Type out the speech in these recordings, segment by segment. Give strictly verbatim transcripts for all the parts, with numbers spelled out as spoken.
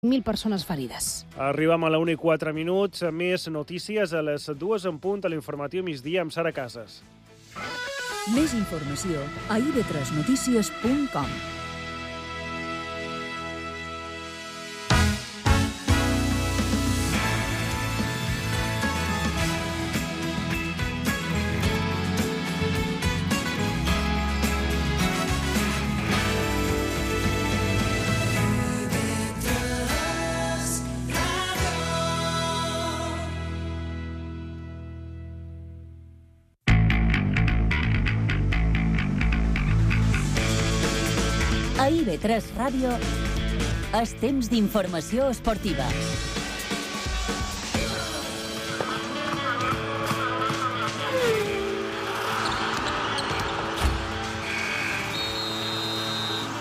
mil persones ferides. Arribem a la una i quatre minuts. Més notícies a les dues en punt a l'informatiu migdia amb Sara Casas. Més informació a i ve tres notícies punt com. A i ve tres Ràdio és temps d'informació esportiva.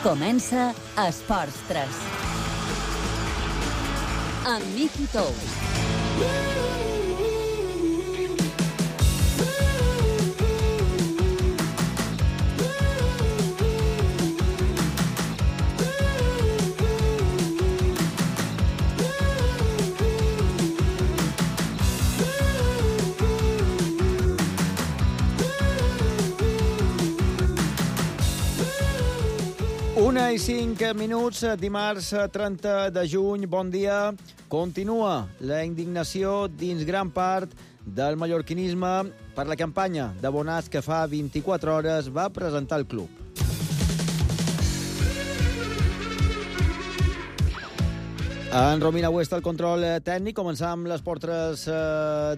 Comença Esports tres. Amb Miqui Tous. Una i cinc minuts, dimarts trenta de juny, bon dia. Continua la indignació dins gran part del mallorquinisme per la campanya d'abonats que fa vint-i-quatre hores va presentar el club. En Romina Huesta, el control tècnic. Començam les portres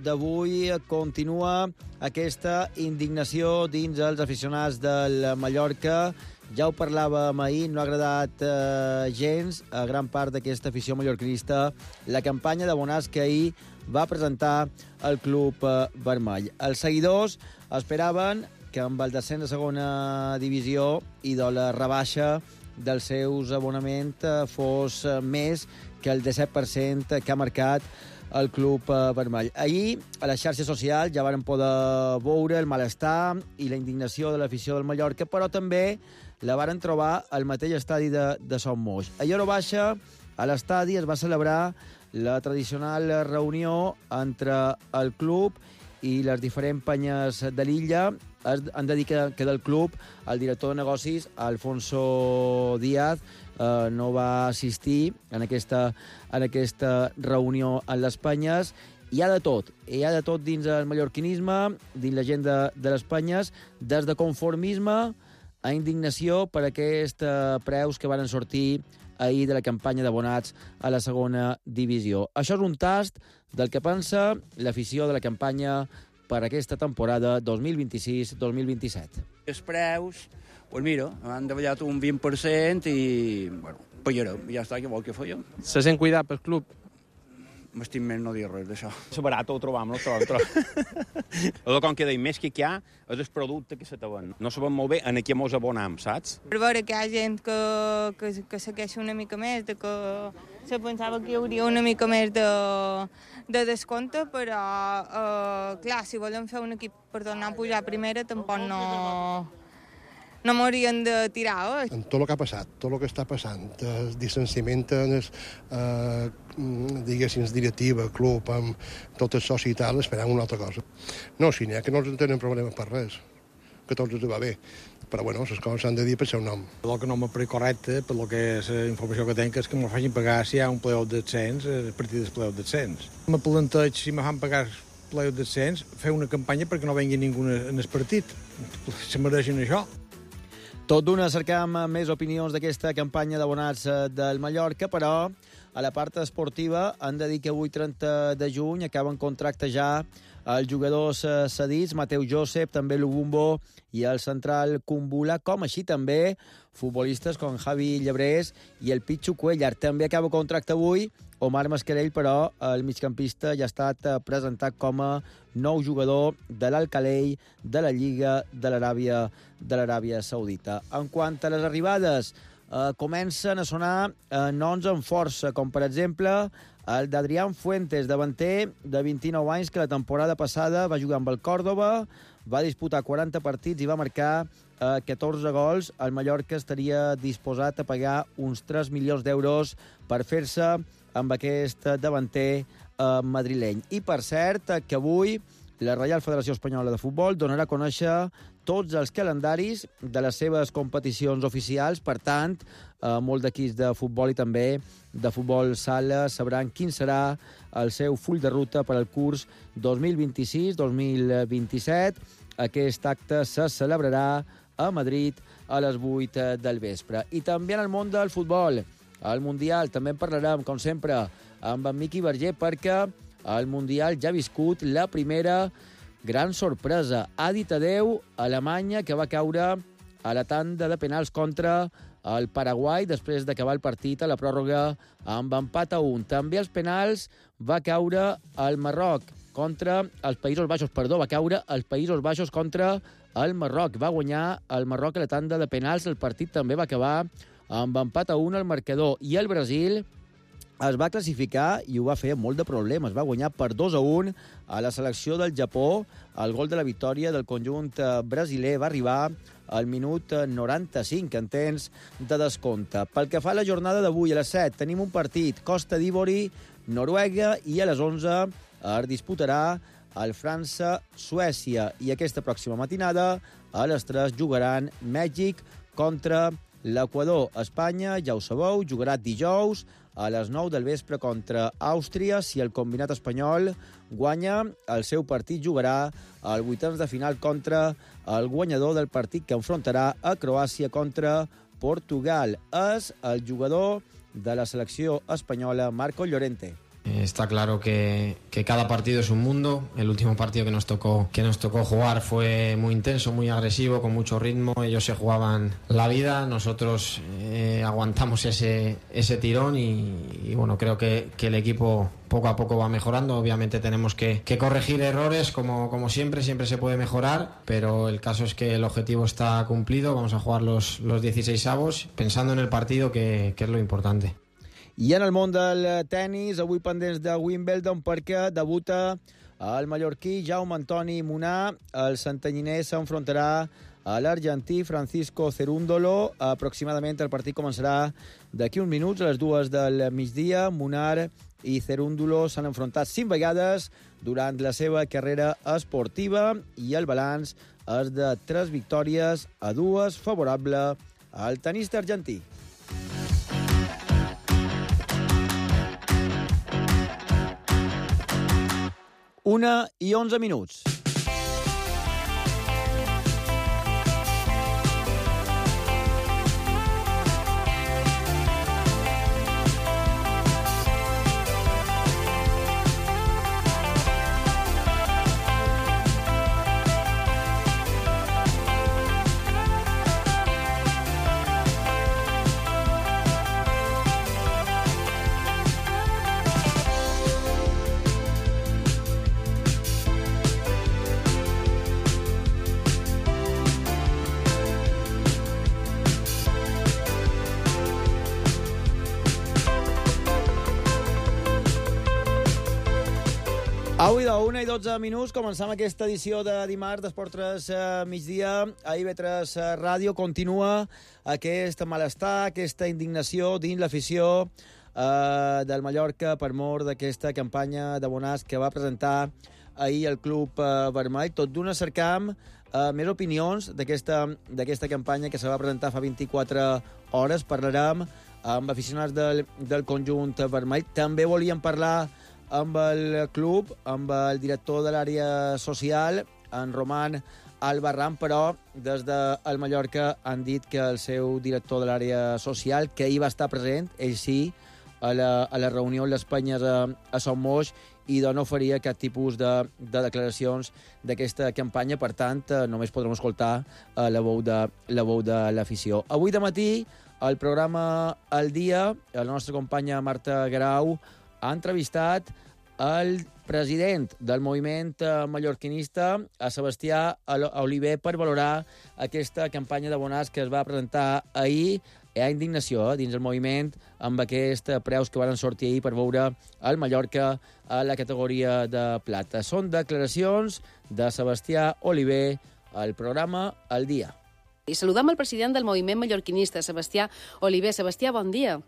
d'avui. Continua aquesta indignació dins els aficionats del Mallorca. Ja ho parlàvem ahir, no ha agradat eh, gens a gran part d'aquesta afició mallorquinista la campanya d'abonats que ahir va presentar el club eh, vermell. Els seguidors esperaven que amb el descens de segona divisió i de la rebaixa dels seus abonaments eh, fos eh, més que el disset per cent que ha marcat el club eh, vermell. Ahir, a les xarxes socials, ja varen poder veure el malestar i la indignació de l'afició del Mallorca, però també la varen trobar al mateix estadi de, de Son Moix. A Lloro Baixa, a l'estadi, es va celebrar la tradicional reunió entre el club i les diferents penyes de l'illa. Han de dir que, que del club el director de negocis, Alfonso Díaz, eh, no va assistir en aquesta, en aquesta reunió en les penyes. Hi ha de tot, hi ha de tot dins el mallorquinisme, dins la gent de, de les penyes, des de conformisme a indignació per aquests preus que van sortir ahir de la campanya d'abonats a la segona divisió. Això és un tast del que pensa l'afició de la campanya per aquesta temporada dos mil vint-i-sis dos mil vint-i-set. Els preus, doncs mira, han davallat un vint per cent i, bueno, pagarem, ja està, què vol que fèiem? Se sent cuidat pel club? M'estim més no dir res d'això. És barat, ho trobam, no ho trobam. El com que deim més que hi ha és el producte que se te ven. No sabem molt bé en què mos abonam, saps? Per veure que hi ha gent que, que, que se queixa una mica més, de que se pensava que hi hauria una mica més de, de descompte, però, eh, clar, si volem fer un equip per tornar a pujar a primera, tampoc no... no m'haurien de tirar, eh? En tot el que ha passat, tot el que està passant, el distanciament, eh, diguéssim, directiva, club, amb tot el soci i tal, esperem una altra cosa. No, si n'hi ha que no ens tenen problema per res, que tots ens va bé, però bueno, les coses s'han de dir per seu nom. El que no m'ha pareix correcte, per lo que és la informació que tenc, és que me facin pagar si hi ha un playoff d'ascens, a partir del playoff d'ascens. Me planteig, si me fan pagar playoff d'ascens, fer una campanya perquè no vengui ningú en el partit. Se mereixen això. Tot d'una cercam més opinions d'aquesta campanya d'abonats del Mallorca, però a la part esportiva han de dir que avui, trenta de juny, acaben contracte ja els jugadors cedits, Mateu Josep, també Lubumbo i el central Kumbula, com així també futbolistes com Javi Llebrés i el Pichu Cuellar. També acaba contracte avui Omar Mascarell, però el migcampista ja ha estat presentat com a nou jugador de l'Al-Khalei de la Lliga de l'Aràbia de l'Aràbia Saudita. En quant a les arribades, eh, comencen a sonar eh, noms amb força, com per exemple el d'Adrián Fuentes, davanter de vint-i-nou anys, que la temporada passada va jugar amb el Còrdova, va disputar quaranta partits i va marcar eh, catorze gols. El Mallorca estaria disposat a pagar uns tres milions d'euros per fer-se amb aquest davanter eh, madrileny. I, per cert, que avui la Reial Federació Espanyola de Futbol donarà a conèixer tots els calendaris de les seves competicions oficials. Per tant, eh, molts d'equips de futbol i també de futbol sala sabran quin serà el seu full de ruta per al curs dos mil vint-i-sis dos mil vint-i-set. Aquest acte se celebrarà a Madrid a les vuit del vespre. I també en el món del futbol, al Mundial, també en parlarem, com sempre, amb en Miqui Verger, perquè el Mundial ja ha viscut la primera gran sorpresa. Ha dit adeu a Alemanya, que va caure a la tanda de penals contra el Paraguai després d'acabar el partit a la pròrroga amb empat a un. També als penals va caure el Marroc contra els Països Baixos. Perdó, va caure els Països Baixos contra el Marroc. Va guanyar el Marroc a la tanda de penals. El partit també va acabar amb empat a un al marcador. I el Brasil es va classificar i ho va fer amb molt de problemes. Va guanyar per dos a un a la selecció del Japó. El gol de la victòria del conjunt brasiler va arribar al minut noranta-cinc, en temps de descompte. Pel que fa a la jornada d'avui, a les set, tenim un partit Costa d'Ivori, Noruega, i a les onze es disputarà el França-Suècia. I aquesta pròxima matinada, a les tres, jugaran Mèxic contra l'Equador. Espanya, ja ho sabeu, jugarà dijous a les nou del vespre contra Àustria. Si el combinat espanyol guanya, el seu partit jugarà al vuitens de final contra el guanyador del partit que enfrontarà a Croàcia contra Portugal. És el jugador de la selecció espanyola, Marco Llorente. Está claro que, que cada partido es un mundo. El último partido que nos tocó que nos tocó jugar fue muy intenso, muy agresivo, con mucho ritmo. Ellos se jugaban la vida, nosotros eh, aguantamos ese, ese tirón y, y bueno, creo que, que el equipo poco a poco va mejorando. Obviamente tenemos que, que corregir errores, como, como siempre, siempre se puede mejorar, pero el caso es que el objetivo está cumplido. Vamos a jugar los, los dieciseisavos pensando en el partido, que, que es lo importante. I en el món del tennis, avui pendents de Wimbledon, perquè debuta el mallorquí Jaume Antoni Munar. El santanyiner s'enfrontarà a l'argentí Francisco Cerúndolo. Aproximadament el partit començarà d'aquí uns minuts, a les dues del migdia. Munar i Cerúndolo s'han enfrontat cinc vegades durant la seva carrera esportiva i el balanç és de tres victòries a dues favorable al tenista argentí. Una i onze minuts. Avui de una i dotze minuts començam aquesta edició de dimarts d'Esport tres eh, migdia. A I V tres Ràdio continua aquest malestar, aquesta indignació dins l'afició eh, del Mallorca per mort d'aquesta campanya d'abonats que va presentar ahir el Club eh, Vermell. Tot d'una cercam eh, més opinions d'aquesta d'aquesta campanya que se va presentar fa vint-i-quatre hores. Parlarem amb aficionats del, del conjunt vermell. També volíem parlar amb el club, amb el director de l'àrea social, en Roman Albarrán, però des del Mallorca han dit que el seu director de l'àrea social, que hi va estar present, ell sí, a la, a la reunió amb les penyes a, a Son Moix, i de no faria cap tipus de, de declaracions d'aquesta campanya. Per tant, eh, només podrem escoltar eh, la veu de la veu de l'afició. Avui de matí, al programa El Dia, la nostra companya Marta Grau ha entrevistat el president del moviment mallorquinista, a Sebastià Oliver, per valorar aquesta campanya d'abonats que es va presentar ahir hi ha indignació eh, dins el moviment amb aquests preus que van sortir ahir per veure el Mallorca a la categoria de plata. Són declaracions de Sebastià Oliver al programa El Dia. I saludam el president del moviment mallorquinista, Sebastià Oliver. Sebastià, bon dia.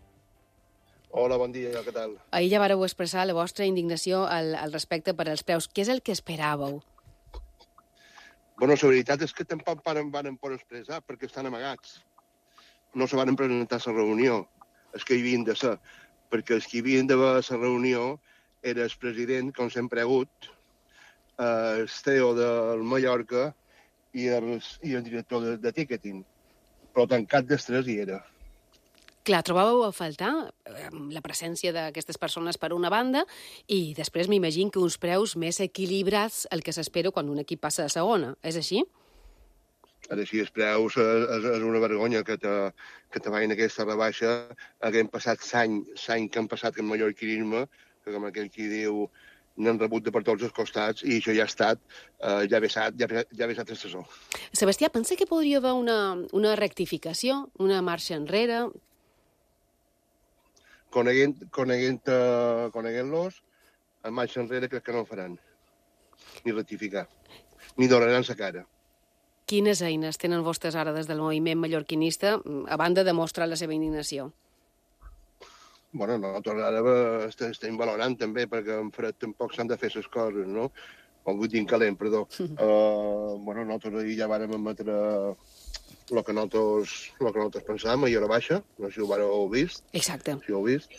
Hola, bon dia, què tal? Ahir ja vareu expressar la vostra indignació al, al respecte per als preus. Què és el que esperàveu? Bueno, la veritat és que tampoc van, van poder expressar perquè estan amagats. No se van presentar a la reunió, els que hi havien de ser, perquè els que hi havien d'haver a la reunió era el president, com sempre ha hagut, el C E O del Mallorca i el, i el director de, de ticketing. Però tant cap dels tres hi era. Clar, trobàveu a faltar eh, la presència d'aquestes persones per una banda i després m'imagino que uns preus més equilibrats el que s'espera quan un equip passa a segona. És així? Ara sí, els preus és, és una vergonya que te, que te vagin aquesta rebaixa. Haguem passat l'any, l'any que han passat el mallorquinisme, que com aquell qui diu n'han rebut de per tots els costats i això ja ha estat, eh, ja ha vessat, ja, ja ha vessat el sassó. Sebastià, pensa que podria haver una, una rectificació, una marxa enrere? Coneguent, coneguent, uh, coneguent-los, en marxa enrere crec que no ho faran, ni rectificar, ni donaran la cara. Quines eines tenen vostres ara des del moviment mallorquinista, a banda de mostrar la seva indignació? Bueno, nosaltres ara estem valorant també, perquè en fred tampoc s'han de fer les coses, no? O vull dir en calent, perdó. uh, bueno, nosaltres ahir ja vàrem emetre el que nosaltres, lo que nosaltres pensàvem, ahir a la baixa, no sé si ho vareu vist. Exacte. Si ho heu vist.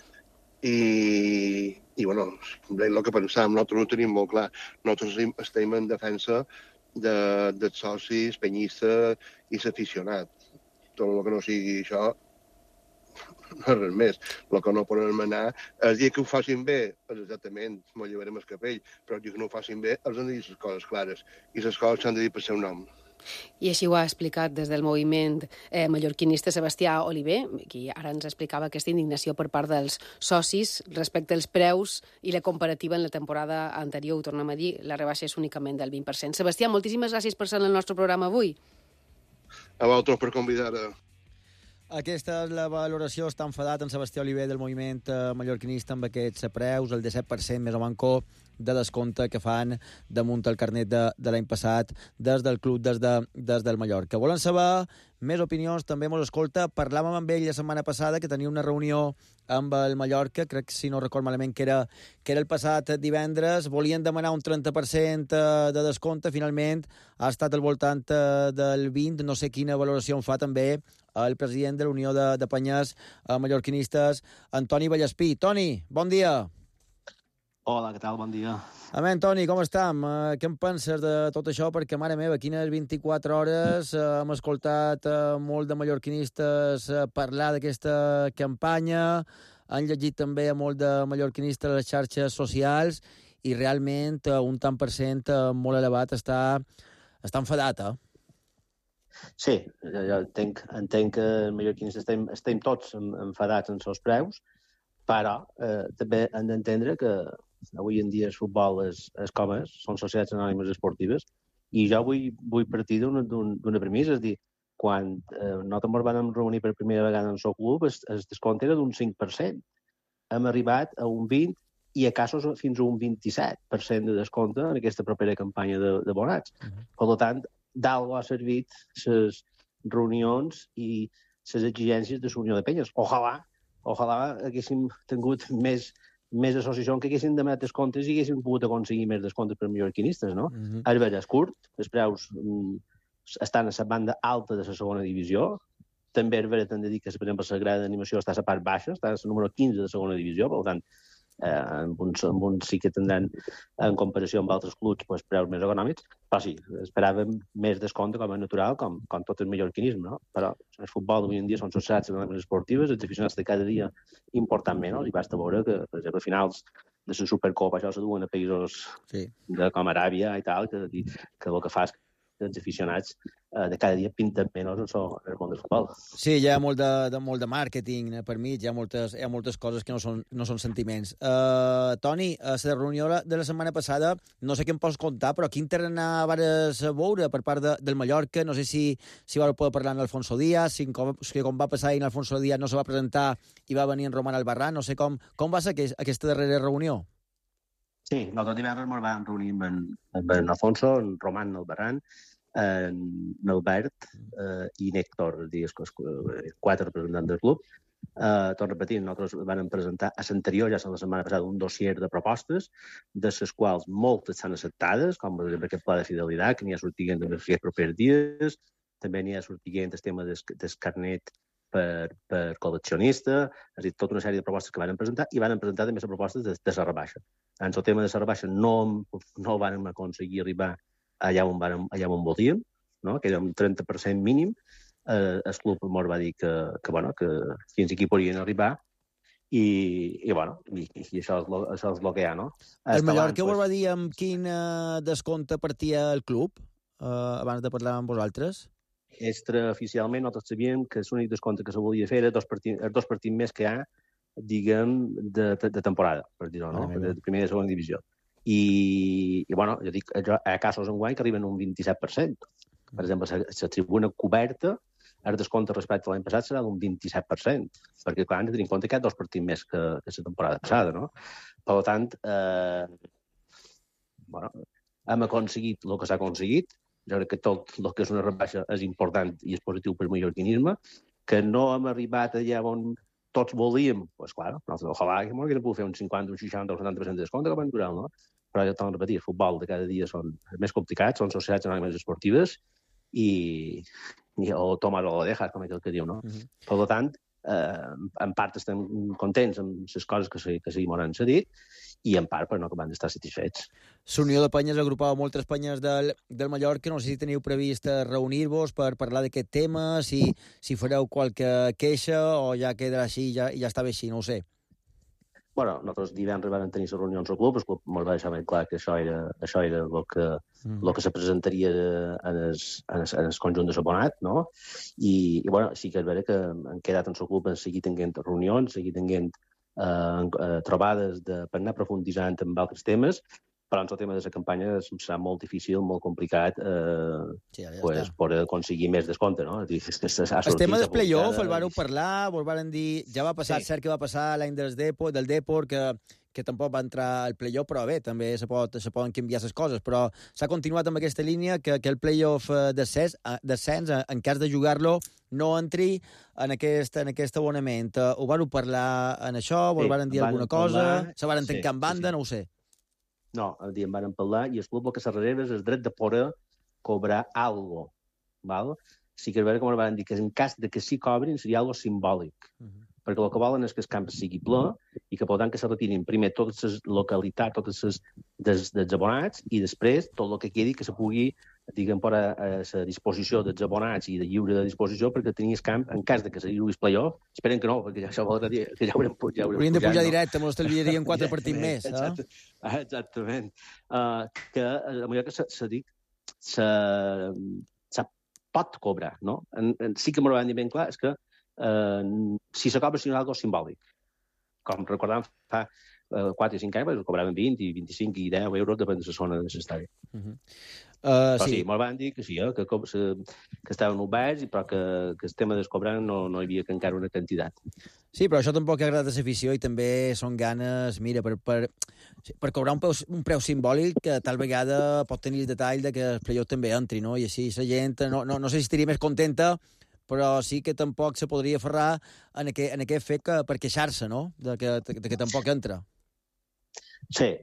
I, i bueno, el que pensàvem, nosaltres ho tenim molt clar. Nosaltres estem en defensa de, dels socis, penyistes i l'aficionat. Tot el que no sigui això, no res més. El que no podem anar, el dia que ho facin bé, és exactament, m'ho llevarem el capell, però el dia que no ho facin bé, els han de dir les coses clares, i les coses s'han de dir per seu nom. I així ho ha explicat des del moviment eh, mallorquinista Sebastià Oliver, qui ara ens explicava aquesta indignació per part dels socis respecte als preus i la comparativa en la temporada anterior. Ho tornem a dir, la rebaixa és únicament del vint per cent. Sebastià, moltíssimes gràcies per ser en el nostre programa avui. A vosaltres per convidar a... Aquesta és la valoració. Està enfadat en Sebastià Oliver del moviment mallorquinista amb aquests preus, el disset per cent més o manco de descompte que fan damunt el carnet de, de l'any passat des del club, des, de, des del Mallorca. Volen saber més opinions? També mos escolta. Parlàvem amb ell la setmana passada, que tenia una reunió amb el Mallorca, crec, si no record malament, que era, que era el passat divendres. Volien demanar un trenta per cent de descompte. Finalment ha estat al voltant del vint. No sé quina valoració en fa també el president de la Unió de, de Penyes Mallorquinistes, Antoni Vallespí. Toni, bon dia. Hola, què tal? Bon dia. Amén, Toni, com estem? Uh, què en penses de tot això? Perquè, mare meva, quines vint-i-quatre hores uh, hem escoltat uh, molt de mallorquinistes uh, parlar d'aquesta campanya, han llegit també a molt de mallorquinistes a les xarxes socials i realment uh, un tant per cent uh, molt elevat està, està enfadat, eh? Sí, jo entenc, entenc que els mallorquinistes estem, estem tots enfadats en els seus preus, però eh, també hem d'entendre que avui en dia el futbol és, és com és, són societats anònimes esportives, i jo vull, vull partir d'una un, premissa, és dir, quan eh, nosaltres ens vam reunir per primera vegada en el seu club, el, el descompte era d'un cinc per cent. Hem arribat a un vint i a casos fins a un vint-i-set per cent de descompte en aquesta propera campanya de, de bonats. Uh-huh. Per tant, d'algo ha servit les reunions i les exigències de la Unió de Penyes. Ojalà, ojalà haguéssim tingut més més associacions que haguessin demanat descomptes i haguessin pogut aconseguir més descomptes per mallorquinistes, no? Uh-huh. És vera, és curt, els preus mm, estan a la banda alta de la segona divisió, també és vera, t'hem de dir que, per exemple, la grada d'animació està a la part baixa, està a la número quinze de segona divisió, per tant, eh, amb, uns, amb uns sí que tindran, en comparació amb altres clubs, pues, preus més econòmics, però sí, esperàvem més descompte com a natural, com, com tot el mallorquinisme, no? Però el futbol avui en dia són societats esportives, els aficionats de cada dia importen menys, i basta veure que, per exemple, a finals de la Supercopa això se duen a països sí. de, com Aràbia i tal, que, que el que fa és que els aficionats de cada dia pinten menys en el món del futbol. Sí, hi ha molt de, de, molt de màrqueting per mig, hi ha moltes, hi ha moltes coses que no són, no són sentiments. Uh, Toni, a la reunió de la setmana passada, no sé què em pots contar, però quin tarannà vares veure per part de, del Mallorca? No sé si, si vau poder parlar amb l'Alfonso Díaz, si com, si com va passar i l'Alfonso Díaz no se va presentar i va venir en Roman Albarrán, no sé com, com va ser aquest, aquesta darrera reunió. Sí, l'altre divendres ens vam reunir amb en, amb en Alfonso, en Roman Albarrán, en Albert eh, i Néctor, digues, quatre representants del club. Eh, tot repetint, nosaltres vam presentar a l'anterior, ja la setmana passada, un dossier de propostes, de les quals moltes estan acceptades, com per exemple aquest pla de fidelitat, que n'hi ha sortint en els propers dies, també n'hi ha sortint el tema del, del carnet per, per col·leccionista, és a dir, tota una sèrie de propostes que van presentar, i van presentar també les propostes de, de la rebaixa. En el tema de la rebaixa no, no van aconseguir arribar allà on, van, allà on volíem, no? Que era un trenta per cent mínim. Eh, el club ens va dir que, que, bueno, que fins aquí podien arribar i, i, bueno, i, i això, és lo, això és el que hi ha, no? El Mallorca pues... va dir amb quin uh, descompte partia el club uh, abans de parlar amb vosaltres? Extraoficialment nosaltres sabíem que l'únic descompte que se volia fer era dos partits, els dos partits més que hi ha, diguem, de, de temporada, per dir-ho, no? De primera i segona divisió. I, i bueno, jo dic, hi ha casos enguany que arriben un vint-i-set per cent. Per exemple, la tribuna coberta, el descompte respecte a l'any passat serà d'un vint-i-set per cent, perquè, clar, hem de tenir en compte que hi ha dos partits més que, que la temporada passada, no? Per tant, eh, bueno, hem aconseguit el que s'ha aconseguit. Jo crec que tot el que és una rebaixa és important i és positiu per mallorquinisme, que no hem arribat allà on tots volíem, doncs, clar, nosaltres, ojalà que m'ho hagués pogut fer un cinquanta, un seixanta o un setanta per cent de descompte com a natural, no? Però ja torno a repetir, el futbol de cada dia són més complicats, són societats anònimes esportives i, i o tomar o lo dejas, com és el que diu, no? Uh -huh. Per tant, eh, en part estem contents amb les coses que se, que se m'han cedit i en part per no acabar d'estar satisfets. L'Unió de Penyes agrupava moltes penyes del, del Mallorca. No sé si teniu previst reunir-vos per parlar d'aquest tema, si, si fareu qualque queixa o ja quedarà així i ja, ja està bé així, no ho sé. Bueno, nosaltres divendres vam tenir les reunions al club, el club ens va deixar ben clar que això era, això era el que, mm. lo que se presentaria en el, en el, en el conjunt de l'abonat, no? I, i bueno, sí que és vera que han quedat en el club en seguir tenint reunions, seguir tenint eh, eh, trobades de, per anar profunditzant en altres temes, però en el tema de la campanya serà molt difícil, molt complicat eh, sí, ja pues, poder aconseguir més descompte, no? El tema del play-off el vareu parlar, vos varen dir, ja va passar, sí. Cert que va passar l'any del Depor, del Depor, que, que tampoc va entrar al play-off, però bé, també se, pot, se poden canviar les coses, però s'ha continuat amb aquesta línia que, que el play-off descens, descens, en cas de jugar-lo, no entri en aquest, en aquest abonament. Ho vareu parlar en això? Vos sí, varen dir alguna cosa? Parlar, se varen tancar sí, en banda? Sí, sí. No ho sé. No, el dia en van parlar i el club el que se reserva és el dret de poder cobrar alguna cosa. Sí que és vera que ens van dir que en cas de que sí cobrin seria algo simbòlic, uh -huh. perquè el que volen és que el camp sigui ple i que per tant que se retirin primer totes les localitats, totes les des, dels abonats i després tot el que quedi que se pugui, diguem, posar a la disposició dels abonats i de lliure de disposició perquè tenies camp en cas de que se juguis play-off. Esperem que no, perquè ja això voldrà dir que ja haurem pujat. Ja haurem de pujar no? Directe, mos estalviaríem quatre partits més. Exacte, eh? Exactament. Uh, que a millor que se, se dic, se, se pot cobrar, no? En, en, sí que m'ho van dir ben clar, és que uh, si se cobra sigui algo simbòlic. Com recordàvem fa quatre o cinc anys, pues, cobraven vint, i vint-i-cinc i deu euros, depèn de la zona de l'estadi. Uh -huh. uh, però sí, sí me'l van dir que sí, eh, que, que estaven oberts, però que, que el tema del cobrar no, no hi havia que encara una quantitat. Sí, però això tampoc agrada a l'afició i també són ganes, mira, per, per, per cobrar un preu, un preu simbòlic que tal vegada pot tenir el detall de que el play-off també entri, no? I així la gent no, no, no sé si estaria més contenta, però sí que tampoc se podria aferrar en aquest, en aquest fet que, per queixar-se, no?, de que, de, de que tampoc entra. Sí,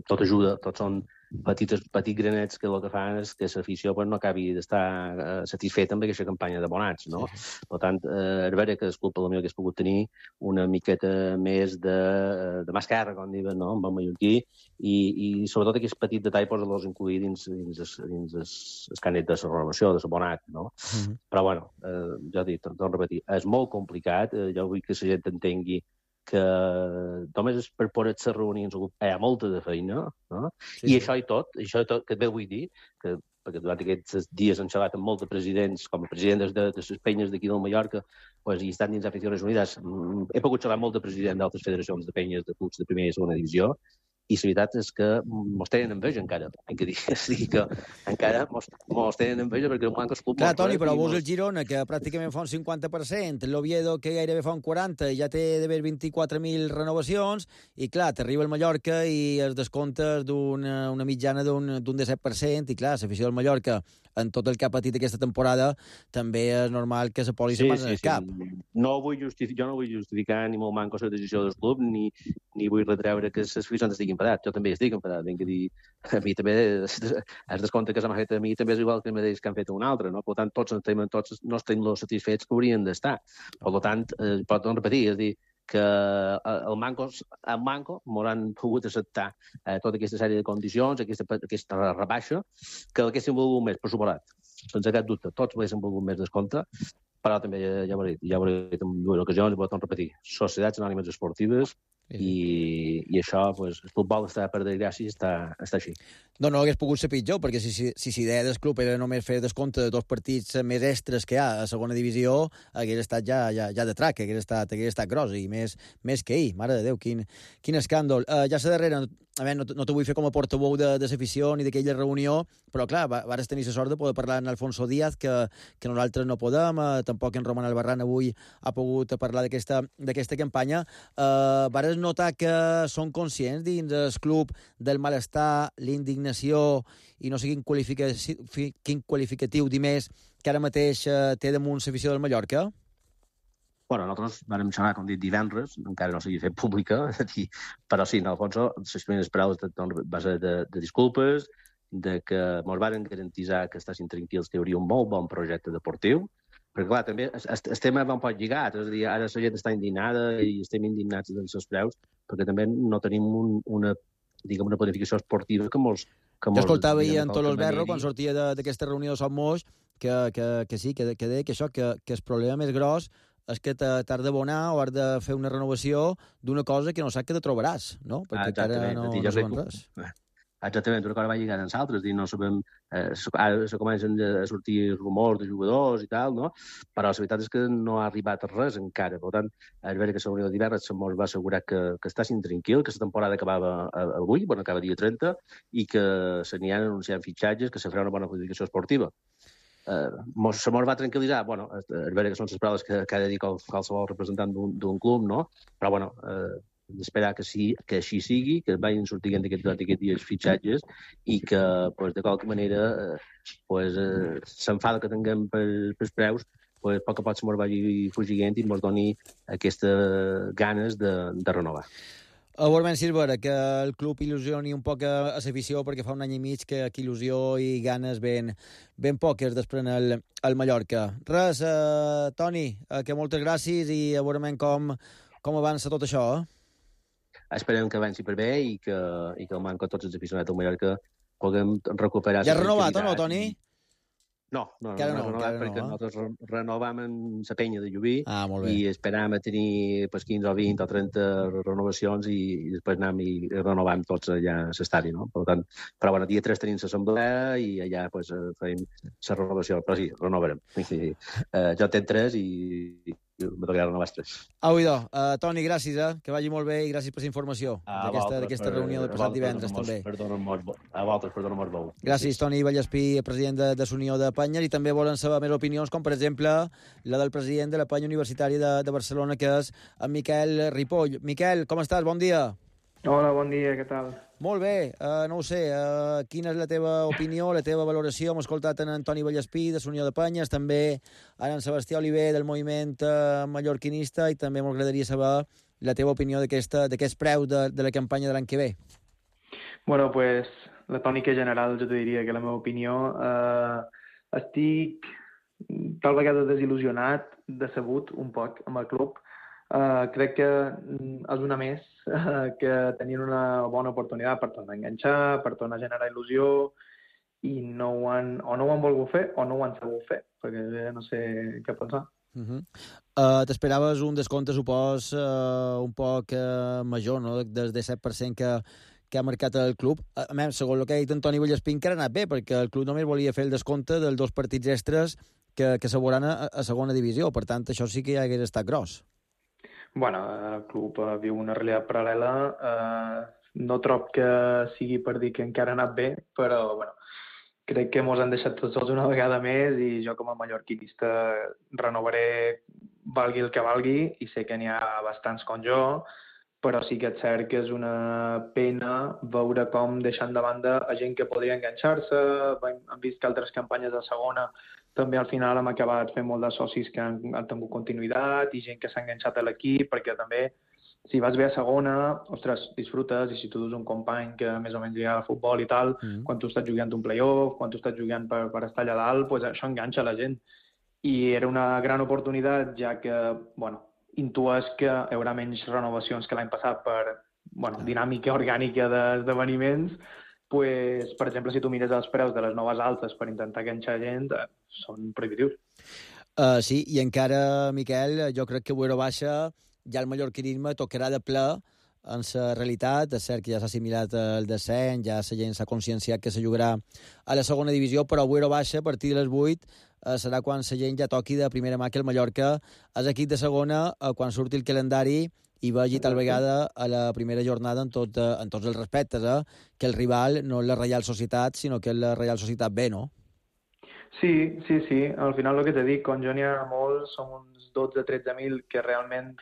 tot ajuda, tots són petits, petits granets que el que fan és que l'afició pues, no acabi d'estar uh, satisfeta amb aquesta campanya d'abonats, no? Sí. Per tant, eh, és vera que és culpa potser que hagués pogut tenir una miqueta més de, de mascarra, com diuen, no?, en bon mallorquí, i, i sobretot aquest petit detall pues, els incluir dins, dins, es, dins es, el canet de la renovació, de l'abonat, no? Mm-hmm. Però, bueno, eh, ja he dit, torno a repetir, és molt complicat, eh, jo vull que la gent entengui que només és per poder-se reunir en grup, hi ha molta de feina, no? Sí, I sí. això i tot, això i tot, que bé vull dir, que perquè durant aquests dies han xerrat amb molts de presidents, com a presidents de, de les penyes d'aquí del Mallorca, pues, i estan dins d'Aficiones Unides. He pogut xerrar molt de presidents d'altres federacions de penyes de clubs de primera i segona divisió, i la veritat és que mos tenen enveja encara. Hem de dir, dir que encara mos, mos tenen enveja perquè el Manco és club... Clar, Toni, però vos el Girona, que pràcticament fa un cinquanta per cent, l'Oviedo, que gairebé fa un quaranta, ja té d'haver vint-i-quatre mil renovacions, i clar, t'arriba el Mallorca i es descomptes d'una una mitjana d'un disset per cent, i clar, l'afició del Mallorca, en tot el que ha patit aquesta temporada, també és normal que se posi sí, la mà sí, al cap. Sí. No vull justificar, jo no vull justificar ni molt Manco la decisió del club, ni, ni vull retreure que les aficions estiguin enfadats. Jo també estic enfadat. Vinc a dir, a mi també, es descompte que s'ha fet a mi també és igual que el mateix que han fet a un altre, no? Per tant, tots, estem, tots no estem lo satisfets que haurien d'estar. Per tant, eh, pot repetir, és dir, que el Manco, el Manco m'hauran pogut acceptar eh, tota aquesta sèrie de condicions, aquesta, aquesta rebaixa, que l'haguessin volgut més, per suposat, sense cap dubte, tots l'haguessin volgut més descompte, però també ja, ja ho he dit, ja ho he dit en dues ocasions, i ho torno a repetir, societats anònimes esportives, i, i això, pues, el futbol està per desgràcia i està, està així. No, no hagués pogut ser pitjor, perquè si, si, si l'idea del club era només fer descompte de dos partits més extres que hi ha a segona divisió, hagués estat ja, ja, ja de trac, hagués estat, hagués estat gros, i més, més que ahir. Mare de Déu, quin, quin escàndol. Uh, ja a darrere, a veure, no, no te vull fer com a portaveu de, de l'afició ni d'aquella reunió, però clar, va, vares tenir la sort de poder parlar amb Alfonso Díaz, que, que nosaltres no podem, uh, tampoc en Roman Albarrán avui ha pogut parlar d'aquesta campanya. Uh, vares notar que són conscients dins el club del malestar, l'indignació i no sé quin qualificatiu, quin qualificatiu dir més que ara mateix uh, té damunt l'afició del Mallorca? Bueno, nosaltres vam xerrar, com dit, divendres, encara no s'havia fet pública, però sí, en Alfonso, les primeres paraules de, base de, de disculpes, de que ens varen garantitzar que estessin tranquils, que hi hauria un molt bon projecte deportiu, perquè, clar, també el, el tema va un poc lligat, és a dir, ara la gent està indignada i estem indignats dels seus preus, perquè també no tenim un, una, diguem, una planificació esportiva que molts... Que jo escoltava ahir en Tolos Berro, quan sortia d'aquesta reunió de Som Moix, que, que, que sí, que, que deia que això, que, que el problema més gros és que t'has d'abonar o has de fer una renovació d'una cosa que no saps que te trobaràs, no? Perquè encara no, no sabem res. Exactament, una cosa va lligant amb l'altra, és a dir, no sabem, eh, ara se comencen a sortir rumors de jugadors i tal, no? Però la veritat és que no ha arribat res encara. Per tant, a veure que la reunió de divendres se'ns va assegurar que, que estàssim tranquil, que la temporada acabava avui, bueno, acaba dia trenta, i que se n'hi han anunciant fitxatges, que se farà una bona planificació esportiva. Eh, mos, se mos va tranquil·litzar, bueno, a veure que són les paraules que, que ha de dir qualsevol representant d'un club, no? Però, bueno, eh, d'esperar que, sí, que així sigui, que vagin sortint d'aquest aquest dies fitxatges i que, pues, de qualque manera, eh, pues, eh, s'enfada que tinguem per, pels preus, pues, poc a poc se mos vagi fugint i mos doni aquestes ganes de, de renovar. A veure, si és vera que el club il·lusioni un poc a, a l'afició, perquè fa un any i mig que, que il·lusió i ganes ben, ben poques desprèn el, el Mallorca. Res, uh, Toni, uh, que moltes gràcies i a veure com, com avança tot això, eh? Esperem que avanci per bé i que, i que el Manco, tots els aficionats del Mallorca, puguem recuperar... Ja has renovat o no, Toni? No, no, no, no, no, renovat no, perquè no, nosaltres renovam en la penya de Llubí ah, i esperam a tenir pues, quinze o vint o trenta renovacions i, i després anem i renovam tots allà a l'estadi, no? Per tant, però bueno, dia tres tenim l'assemblea i allà pues, fem la renovació, però sí, renovarem. I, eh, jo tenc tres i... me tocarà renovar tres. Au, idò. Uh, Toni, gràcies, eh? Que vagi molt bé i gràcies per la informació d'aquesta reunió de passat divendres, també. A vosaltres, perdona molt bo. Gràcies, Toni Vallespí, president de, de l'Unió de Penyes, i també volen saber més opinions, com per exemple la del president de la Penya Universitària de, de Barcelona, que és en Miquel Ripoll. Miquel, com estàs? Bon dia. Hola, bon dia, què tal? Molt bé, uh, no ho sé, uh, quina és la teva opinió, la teva valoració? Hem escoltat en Antoni Vallespí, de l'Unió de Penyes, també ara en Sebastià Oliver, del moviment uh, mallorquinista, i també m'agradaria saber la teva opinió d'aquest preu de, de la campanya de l'any que ve. Bueno, pues, la tònica general jo te diria que la meva opinió eh, estic tal vegada desil·lusionat, decebut un poc amb el club. Uh, crec que és una més uh, que tenien una bona oportunitat per tornar a enganxar, per tornar a generar il·lusió, i no ho han, o no ho han volgut fer o no ho han sabut fer, perquè no sé què pensar. Uh -huh. uh, T'esperaves un descompte, supos, uh, un poc uh, major, no?, del disset per cent que, que ha marcat el club. A més, segons el que ha dit Antoni Vallespí, encara ha anat bé, perquè el club només volia fer el descompte dels dos partits extres que, que s'aboran a, a segona divisió. Per tant, això sí que ja hagués estat gros. Bueno, el club uh, viu una realitat paral·lela. Uh, no trob que sigui per dir que encara ha anat bé, però, bueno, crec que mos han deixat tots sols una vegada més i jo com a mallorquinista renovaré valgui el que valgui i sé que n'hi ha bastants com jo, però sí que és cert que és una pena veure com deixant de banda a gent que podria enganxar-se. Hem vist que altres campanyes de segona també al final hem acabat fent molt de socis que han, han tingut continuïtat i gent que s'ha enganxat a l'equip, perquè també si vas bé a segona, ostres, disfrutes, i si tu dus un company que més o menys lliga al futbol i tal, mm. quan tu estàs jugant un play-off, quan tu estàs jugant per, per estar allà dalt, pues això enganxa la gent. I era una gran oportunitat, ja que, bueno, intues que hi haurà menys renovacions que l'any passat per, bueno, dinàmica orgànica d'esdeveniments. Pues, per exemple, si tu mires els preus de les noves altes per intentar enganxar gent, eh, són prohibitius. Uh, sí, i encara, Miquel, jo crec que Buero Baixa ja el mallorquinisme tocarà de ple en la realitat. És cert que ja s'ha assimilat el descens, ja la gent s'ha conscienciat que se jugarà a la segona divisió, però Buero Baixa, a partir de les vuit, eh, serà quan la gent ja toqui de primera mà que el Mallorca és equip de segona, eh, quan surti el calendari i vegi tal vegada a la primera jornada en, tot, eh, en tots els respectes, eh, que el rival no és la Reial Societat, sinó que és la Reial Societat B, no? Sí, sí, sí. Al final el que t'he dit, com jo n'hi ha molts, som uns dotze o tretze mil que realment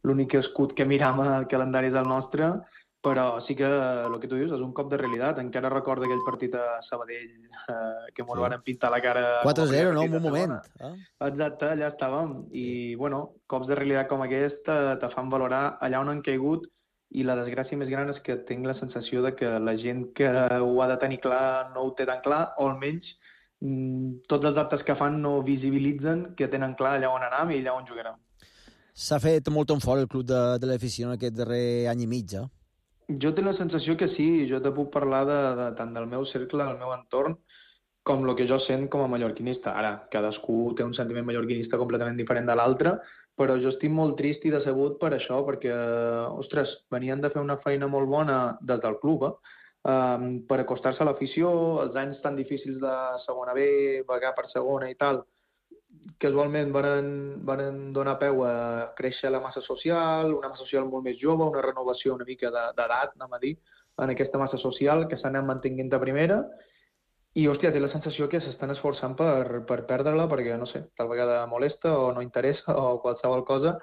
l'únic escut que miram al calendari és el nostre, però sí que el que tu dius és un cop de realitat. Encara recordo aquell partit a Sabadell eh, que m'ho sí. van pintar la cara... quatre a zero, no? En un moment. Eh? Exacte, allà estàvem. I, bueno, cops de realitat com aquest te, te fan valorar allà on han caigut, i la desgràcia més gran és que tinc la sensació de que la gent que ho ha de tenir clar no ho té tan clar, o almenys mm, tots els actes que fan no visibilitzen que tenen clar allà on anam i allà on jugarem. S'ha fet molt en fort el club de, de l'afició en aquest darrer any i mig, eh? Jo tinc la sensació que sí. Jo te puc parlar de, de, tant del meu cercle, del meu entorn, com el que jo sent com a mallorquinista. Ara, cadascú té un sentiment mallorquinista completament diferent de l'altre, però jo estic molt trist i decebut per això, perquè, ostres, venien de fer una feina molt bona des del club, eh? Um, per acostar-se a l'afició, els anys tan difícils de segona B, vagar per segona i tal, casualment van, van donar peu a créixer la massa social, una massa social molt més jove, una renovació una mica d'edat, anem a dir, en aquesta massa social que s'ha anat mantenint a primera, i, hòstia, té la sensació que s'estan esforçant per, per perdre-la, perquè, no sé, tal vegada molesta o no interessa o qualsevol cosa,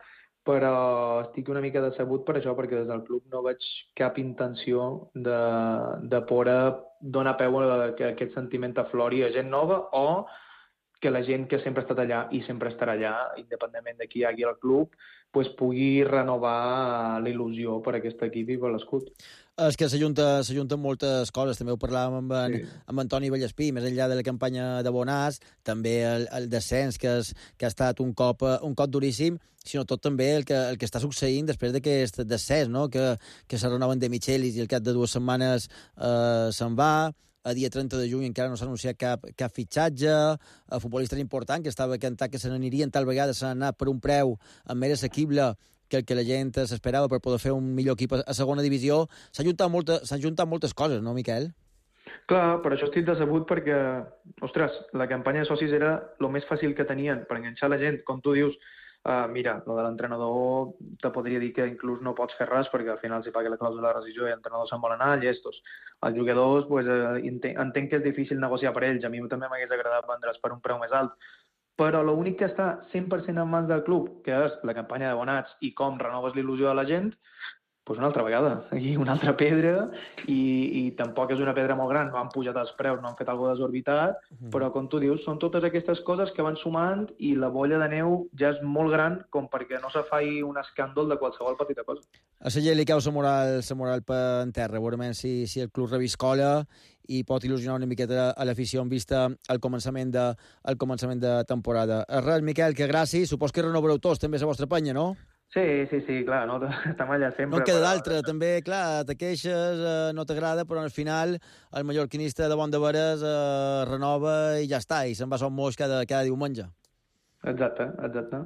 però estic una mica decebut per això, perquè des del club no veig cap intenció de, de poder donar peu a que aquest sentiment aflori a gent nova, o que la gent que sempre ha estat allà i sempre estarà allà, independentment de qui hi hagi al club, pues, pugui renovar la il·lusió per aquest equip i per l'escut. És que s'ajunten moltes coses. També ho parlàvem amb, en, sí. amb Antoni Vallespí, més enllà de la campanya de Bonàs, també el, el descens, que, és, que ha estat un cop, un cop duríssim, sinó tot també el que, el que està succeint després d'aquest descens, no? que, que se renoven de Michelis i al cap de dues setmanes eh, se'n va. A dia trenta de juny encara no s'ha anunciat cap, cap fitxatge, a futbolistes important que estava cantat que se n'anirien, tal vegada s'han anat per un preu més assequible que el que la gent s'esperava per poder fer un millor equip a segona divisió. S'han juntat, molta, s'han juntat moltes coses, no, Miquel? Clar, per això estic decebut, perquè, ostres, la campanya de socis era el més fàcil que tenien per enganxar la gent, com tu dius. Uh, mira, lo de l'entrenador te podria dir que inclús no pots fer res perquè al final si paga la clàusula de rescissió i l'entrenador se'n vol anar, llestos. Els jugadors, pues, uh, entenc que és difícil negociar per ells. A mi també m'hagués agradat vendre's per un preu més alt. Però l'únic que està cent per cent en mans del club, que és la campanya d'abonats i com renoves l'il·lusió de la gent, pues una altra vegada, i una altra pedra, i, i tampoc és una pedra molt gran, no han pujat els preus, no han fet alguna cosa desorbitat, mm. però com tu dius, són totes aquestes coses que van sumant i la bolla de neu ja és molt gran com perquè no se faci un escàndol de qualsevol petita cosa. A la gent li cau la moral, la moral per en terra, veurem si, si el club reviscola i pot il·lusionar una miqueta a l'afició en vista al començament de, al començament de temporada. Res, Miquel, que gràcies, supos que renovareu tots també la vostra penya, no? Sí, sí, sí, clar, no, estem allà sempre. No queda però... d'altre, també, clar, te queixes, eh, no t'agrada, però al final el mallorquinista de bon de veres eh, renova i ja està, i se'n va a son moix cada, cada diumenge. Exacte, exacte.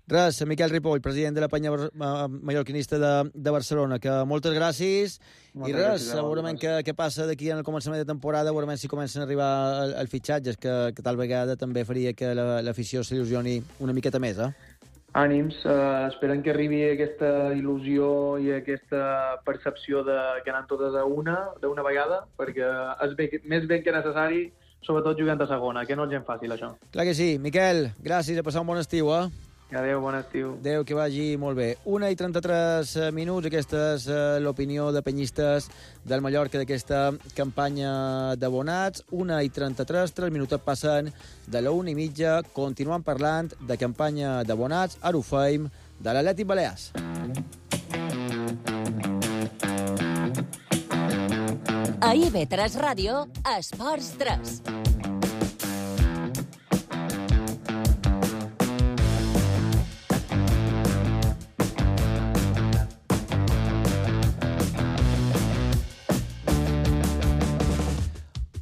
Res, Miquel Ripoll, president de la penya mallorquinista de, de Barcelona, que moltes gràcies. Moltes I res, gràcies a segurament que, que passa d'aquí en el començament de temporada, veurem si comencen a arribar els fitxatges, que, que tal vegada també faria que l'afició s'il·lusioni una miqueta més, eh? Ànims, eh, esperem que arribi aquesta il·lusió i aquesta percepció de que anem totes a una, d'una vegada, perquè és bé, més ben que necessari, sobretot jugant a segona, que no és gens fàcil, això. Clar que sí. Miquel, gràcies, a passar un bon estiu, eh? Adéu, bon estiu. Adéu, que vagi molt bé. una i trenta-tres minuts, aquesta és uh, l'opinió de penyistes del Mallorca d'aquesta campanya d'abonats. una i trenta-tres, tres minuts passen de la una i mitja, continuant parlant de campanya d'abonats, ara ho feim, de l'Atlètic Balears. A I B tres Ràdio, Esports tres.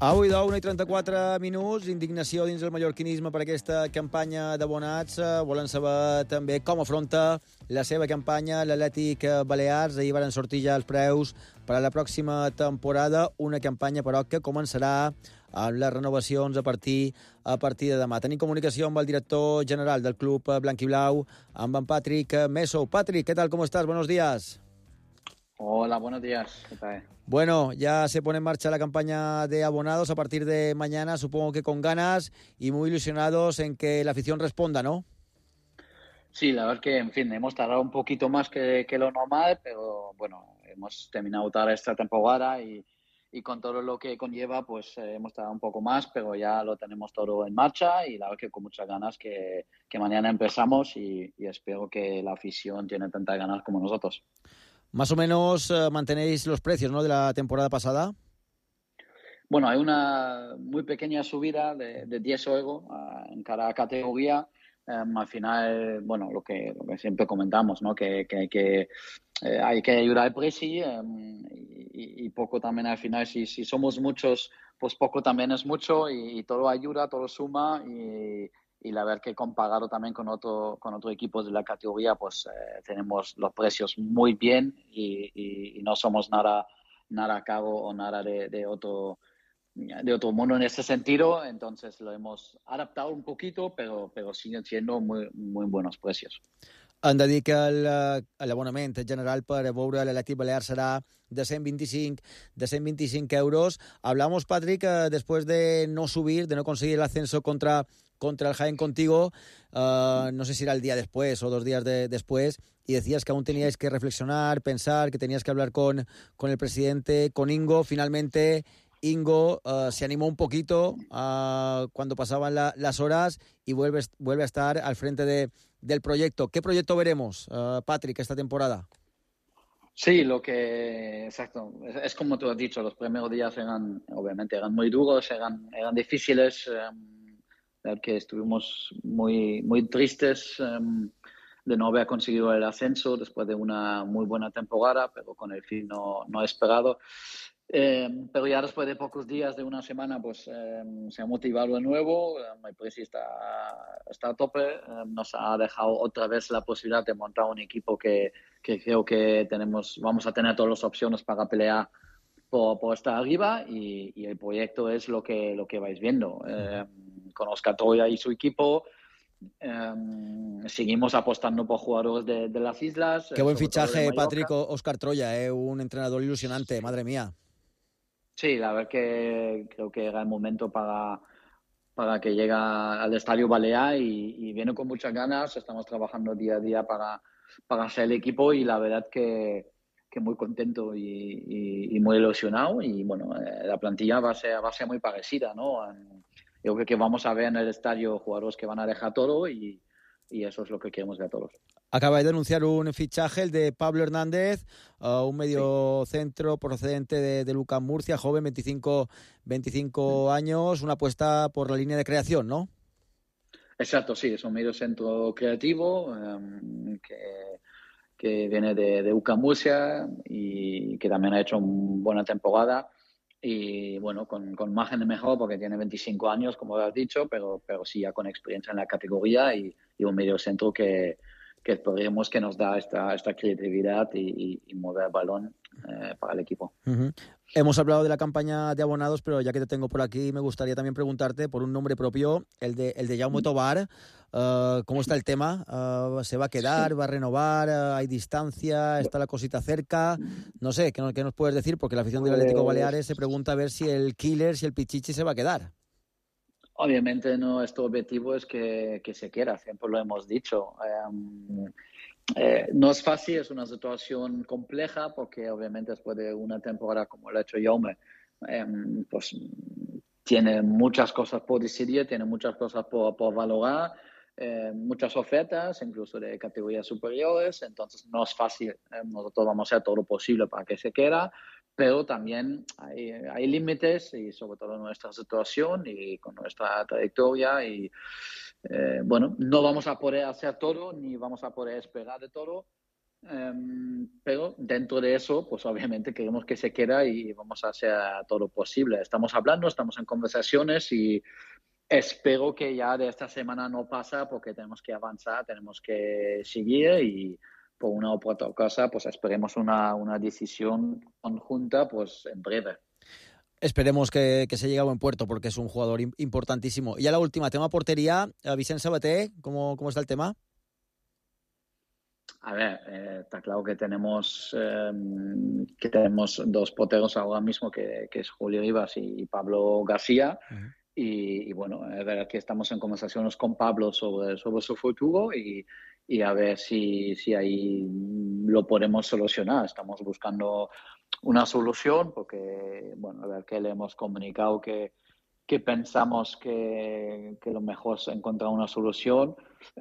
Avui de una i trenta-quatre minuts, indignació dins el mallorquinisme per aquesta campanya d'abonats. Volen saber també com afronta la seva campanya l'Atlètic Balears. Ahir van sortir ja els preus per a la pròxima temporada, una campanya, però, que començarà amb les renovacions a partir a partir de demà. Tenim comunicació amb el director general del club blanquiblau, amb en Patrick Meso. Patrick, ¿qué tal? ¿Cómo estás? Buenos días. Hola, buenos días. ¿Qué tal? Bueno, ya se pone en marcha la campaña de abonados a partir de mañana, supongo que con ganas y muy ilusionados en que la afición responda, ¿no? Sí, la verdad es que, en fin, hemos tardado un poquito más que, que lo normal, pero bueno, hemos terminado toda esta temporada y, y con todo lo que conlleva, pues eh, hemos tardado un poco más, pero ya lo tenemos todo en marcha y la verdad que con muchas ganas que, que mañana empezamos y, y espero que la afición tiene tantas ganas como nosotros. Más o menos eh, mantenéis los precios, ¿no?, de la temporada pasada. Bueno, hay una muy pequeña subida de, de diez euros uh, en cada categoría. Um, al final, bueno, lo que, lo que siempre comentamos, ¿no?, que, que, hay, que eh, hay que ayudar al presi um, y, y poco también al final. Si, si somos muchos, pues poco también es mucho y, y todo ayuda, todo suma y... Y la verdad que comparado también con otro con otros equipos de la categoría, pues eh, tenemos los precios muy bien y, y, y no somos nada nada caro o nada de, de otro de otro mundo en ese sentido. Entonces lo hemos adaptado un poquito, pero pero siguen siendo muy muy buenos precios. Han de dir que l'abonament general per veure l'Atlètic Balears serà de cent vint-i-cinc de cent vint-i-cinc euros. Hablamos, Patrick, eh, después de no subir, de no conseguir el ascenso contra, contra el Jaén Contigo, uh, no sé si era el día después o dos días de, después, y decías que aún teníais que reflexionar, pensar, que tenías que hablar con, con el presidente, con Ingo. Finalmente, Ingo uh, se animó un poquito uh, cuando pasaban la, las horas y vuelve, vuelve a estar al frente de, del proyecto. ¿Qué proyecto veremos, uh, Patrick, esta temporada? Sí, lo que, exacto, es, es como tú has dicho, los primeros días eran, obviamente, eran muy duros, eran, eran difíciles, um, que estuvimos muy, muy tristes um, de no haber conseguido el ascenso después de una muy buena temporada, pero con el fin no, no esperado. Eh, pero ya después de pocos días, de una semana, pues eh, se ha motivado de nuevo. El presi está, está a tope. Eh, nos ha dejado otra vez la posibilidad de montar un equipo que, que creo que tenemos, vamos a tener todas las opciones para pelear por, por estar arriba y, y el proyecto es lo que, lo que vais viendo. Eh, con Oscar Troya y su equipo eh, seguimos apostando por jugadores de, de las islas. Qué buen fichaje, Patrick, Oscar Troya, eh, un entrenador ilusionante, madre mía. Sí, la verdad que creo que era el momento para, para que llegue al Estadio Balear y, y viene con muchas ganas. Estamos trabajando día a día para, para hacer el equipo y la verdad que, que muy contento y, y, y muy ilusionado. Y bueno, eh, la plantilla va a ser, va a ser muy parecida, ¿no? Yo creo que vamos a ver en el estadio jugadores que van a dejar todo y, y eso es lo que queremos ver a todos. Acabáis de anunciar un fichaje, el de Pablo Hernández, uh, un medio sí. centro procedente de, de Lucas Murcia, joven, veinticinco, veinticinco años, una apuesta por la línea de creación, ¿no? Exacto, sí, es un medio centro creativo um, que, que viene de, de Lucas Murcia y que también ha hecho una buena temporada. y bueno, con, con margen de mejor porque tiene veinticinco años, como has dicho, pero, pero sí ya con experiencia en la categoría y, y un mediocentro que, que esperemos que nos da esta, esta creatividad y, y, y mover el balón eh, para el equipo. Uh-huh. Hemos hablado de la campaña de abonados, pero ya que te tengo por aquí, me gustaría también preguntarte por un nombre propio, el de, el de Jaume Tovar. Uh, ¿Cómo está el tema? Uh, ¿Se va a quedar? Sí. ¿Va a renovar? Uh, ¿Hay distancia? ¿Está la cosita cerca? No sé, ¿qué, qué nos puedes decir? Porque la afición del Atlético Baleares se pregunta a ver si el Killer, si el Pichichi se va a quedar. Obviamente nuestro objetivo es que, que se quiera, siempre lo hemos dicho. Um, eh, no es fácil, es una situación compleja porque obviamente después de una temporada como lo ha hecho Jaume, eh, pues tiene muchas cosas por decidir, tiene muchas cosas por, por valorar, eh, muchas ofertas, incluso de categorías superiores, entonces no es fácil. Eh, nosotros vamos a hacer todo lo posible para que se quiera, pero también hay, hay límites y sobre todo en nuestra situación y con nuestra trayectoria y eh, bueno, no vamos a poder hacer todo ni vamos a poder esperar de todo, um, pero dentro de eso pues obviamente queremos que se quiera y vamos a hacer todo lo posible. Estamos hablando, estamos en conversaciones y espero que ya de esta semana no pasa porque tenemos que avanzar, tenemos que seguir y por una u otra cosa, pues esperemos una, una decisión conjunta pues en breve. Esperemos que, que se llegue a buen puerto porque es un jugador importantísimo. Y ya la última, tema portería, Vicent Sabater, ¿cómo, cómo está el tema? A ver, eh, está claro que tenemos eh, que tenemos dos porteros ahora mismo, que, que es Julio Rivas y, y Pablo García. Uh-huh. Y, y bueno, a ver, que estamos en conversaciones con Pablo sobre, sobre su futuro y, y a ver si, si ahí lo podemos solucionar. Estamos buscando una solución porque, bueno, a ver, que le hemos comunicado que, que pensamos que, que lo mejor es encontrar una solución,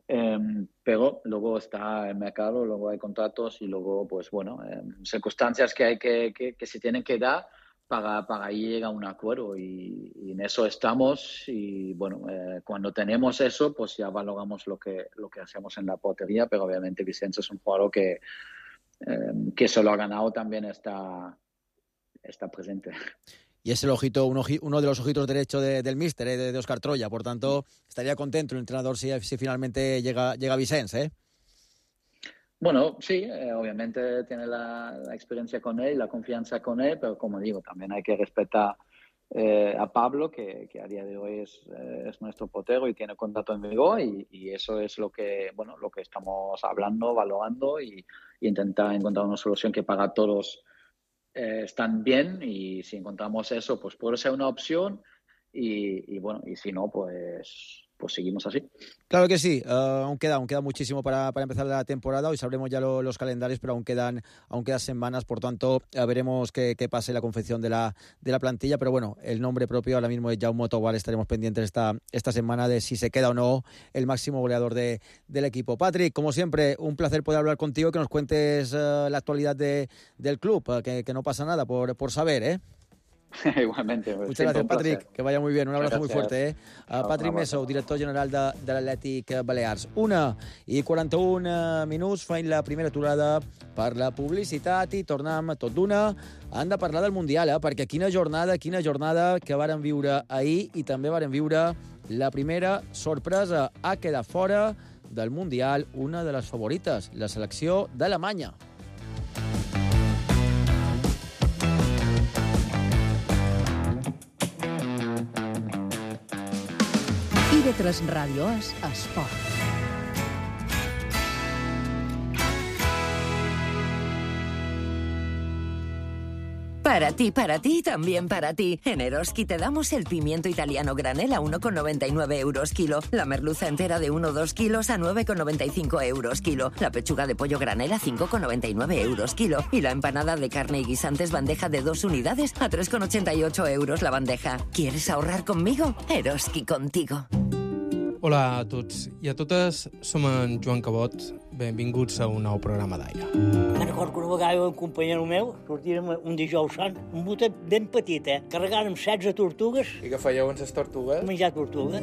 eh, pero luego está el mercado, luego hay contratos y luego, pues bueno, eh, circunstancias que, hay que, que, que se tienen que dar para, para llegar a un acuerdo y, y en eso estamos y bueno, eh, cuando tenemos eso pues ya valoramos lo que, lo que hacemos en la portería, pero obviamente Vicente es un jugador que, eh, que se lo ha ganado, también está, está presente. Y es el ojito, un oji, uno de los ojitos derechos de, del míster, eh, de, de Óscar Troya, por tanto estaría contento el entrenador si, si finalmente llega, llega Vicente, ¿eh? Bueno, sí, eh, obviamente tiene la, la experiencia con él, la confianza con él, pero como digo, también hay que respetar eh, a Pablo, que, que a día de hoy es, eh, es nuestro portero y tiene contrato en vigor y, y eso es lo que, bueno, lo que estamos hablando, valorando y, y intentar encontrar una solución que para todos eh, están bien y si encontramos eso, pues puede ser una opción y, y bueno, y si no, pues... pues seguimos así. Claro que sí, uh, aún queda, aún queda muchísimo para, para empezar la temporada, hoy sabremos ya lo, los calendarios, pero aún quedan, aún quedan semanas, por tanto uh, veremos qué, qué pasa en la confección de la, de la plantilla, pero bueno, el nombre propio ahora mismo es Jaume Tovar, estaremos pendientes esta, esta semana de si se queda o no el máximo goleador de, del equipo. Patrick, como siempre, un placer poder hablar contigo, que nos cuentes uh, la actualidad de, del club, uh, que, que no pasa nada por, por saber, ¿eh? Igualmente. Muchas gracias, Patrick. Que vaya muy bien. Un abrazo muy fuerte. Eh? A Patrick Messou, director general de, de l'Atlètic Balears. Una i quaranta-un minuts, faig la primera aturada per la publicitat i tornem tot d'una. Han de parlar del Mundial, eh? Perquè quina jornada, quina jornada que varen viure ahir i també varen viure la primera sorpresa. Ha quedat fora del Mundial una de les favorites, la selecció d'Alemanya. I de tres Ràdio és Esport. Para ti, para ti, también para ti. En Eroski te damos el pimiento italiano granel a uno con noventa y nueve euros kilo, la merluza entera de uno o dos kilos a nueve con noventa y cinco euros kilo, la pechuga de pollo granel a cinco con noventa y nueve euros kilo y la empanada de carne y guisantes bandeja de dos unidades a tres con ochenta y ocho euros la bandeja. ¿Quieres ahorrar conmigo? Eroski contigo. Hola a tots i a totes, som en Joan Cabot. Benvinguts a un nou programa d'aire. Me'n recordo que una vegada un companyero meu sortíem un dijous sant, un botet ben petit, eh? Carregàrem setze tortugues. I què fèieu amb les tortugues? Menjar tortuga.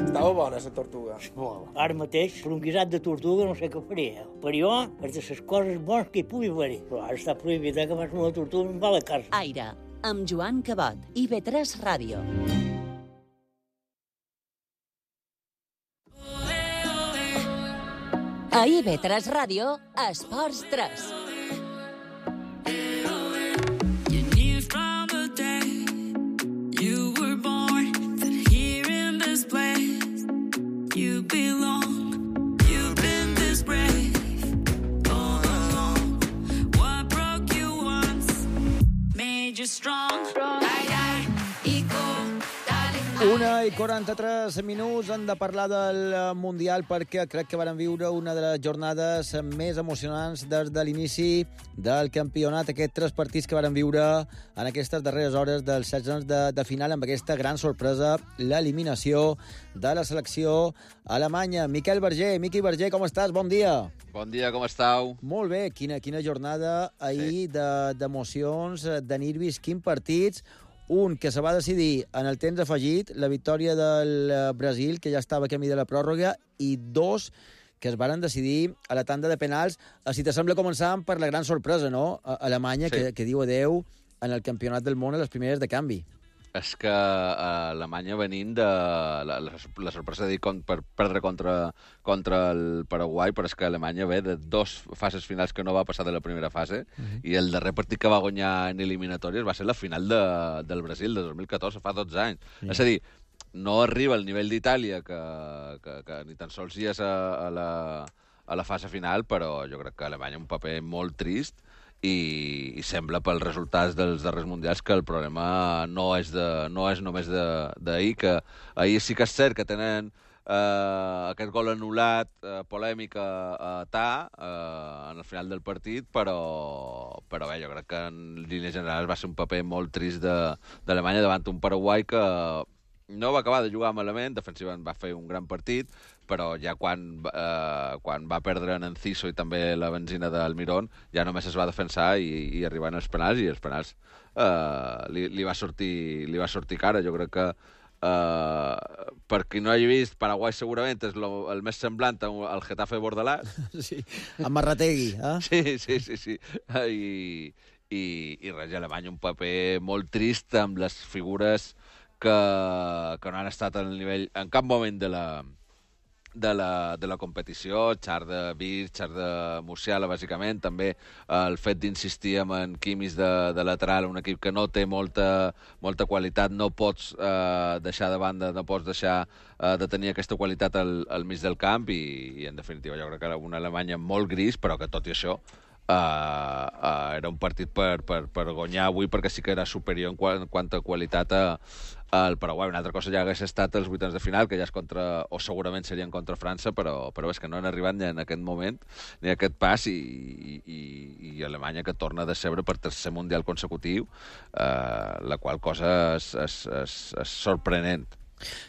Estava bona, la tortuga. Molt. Ara mateix, per un guisat de tortuga, no sé què faria. Per jo, és de les coses bones que hi pugui haver. Però ara està prohibit, eh, que vas una tortuga en va a la casa. Aire, amb Joan Cabot, I V tres Ràdio. A I V tres Ràdio, Esports tres. Una i quaranta-tres minuts han de parlar del Mundial perquè crec que varen viure una de les jornades més emocionants des de l'inici del campionat. Aquests tres partits que varen viure en aquestes darreres hores dels setze de, de final amb aquesta gran sorpresa, l'eliminació de la selecció alemanya. Miquel Berger, Miqui Berger, com estàs? Bon dia. Bon dia, com estàu? Molt bé, quina, quina jornada ahir sí. d'emocions, de, de nervis, quins partits. Un que se va decidir en el temps afegit, la victòria del Brasil, que ja estava a camí de la pròrroga, i dos que es varen decidir a la tanda de penals. Si te sembla, començar per la gran sorpresa, no? Alemanya, sí. que, que diu adeu en el campionat del món a les primeres de canvi. És que uh, Alemanya venint de la, la, la sorpresa de dir con, per perdre contra, contra el Paraguai, però és que Alemanya ve de dos fases finals que no va passar de la primera fase, uh-huh. i el darrer partit que va guanyar en eliminatòries va ser la final de, del Brasil de dos mil catorze, fa dotze anys. Uh-huh. És a dir, no arriba al nivell d'Itàlia, que, que, que ni tan sols hi és a, a, la, a la fase final, però jo crec que Alemanya un paper molt trist, i, i sembla pels resultats dels darrers mundials que el problema no és, de, no és només d'ahir, que ahir sí que és cert que tenen eh, aquest gol anul·lat, eh, polèmic a, a Ta, eh, en el final del partit, però, però bé, jo crec que en línies generals va ser un paper molt trist d'Alemanya de, davant un Paraguai que no va acabar de jugar malament, defensivament va fer un gran partit, però ja quan, eh, quan va perdre en Enciso i també la benzina d'Almirón, ja només es va defensar i, i arribant als penals, i els penals eh, li, li, va sortir, li va sortir cara. Jo crec que, eh, per qui no hagi vist, Paraguai segurament és lo, el més semblant al Getafe Bordalàs. Sí, amb Marrategui, eh? Sí, sí, sí, sí. I, i, i res, Alemanya un paper molt trist amb les figures que, que no han estat al nivell en cap moment de la, de la, de la competició. Xarda Vir, Xarda Musiala, bàsicament. També el fet d'insistir en Kimmich de, de lateral, un equip que no té molta, molta qualitat, no pots eh, deixar de banda, no pots deixar eh, de tenir aquesta qualitat al, al mig del camp, i, i en definitiva jo crec que era una Alemanya molt gris, però que tot i això Uh, uh, era un partit per, per, per guanyar avui, perquè sí que era superior en, quant, en quant a qualitat a, al Paraguai. Una altra cosa ja hagués estat els vuitens de final, que ja és contra, o segurament serien contra França, però, però és que no han arribat ni en aquest moment, ni a aquest pas, i, i, i Alemanya que torna a decebre per tercer mundial consecutiu, uh, la qual cosa és, és, és, és sorprenent.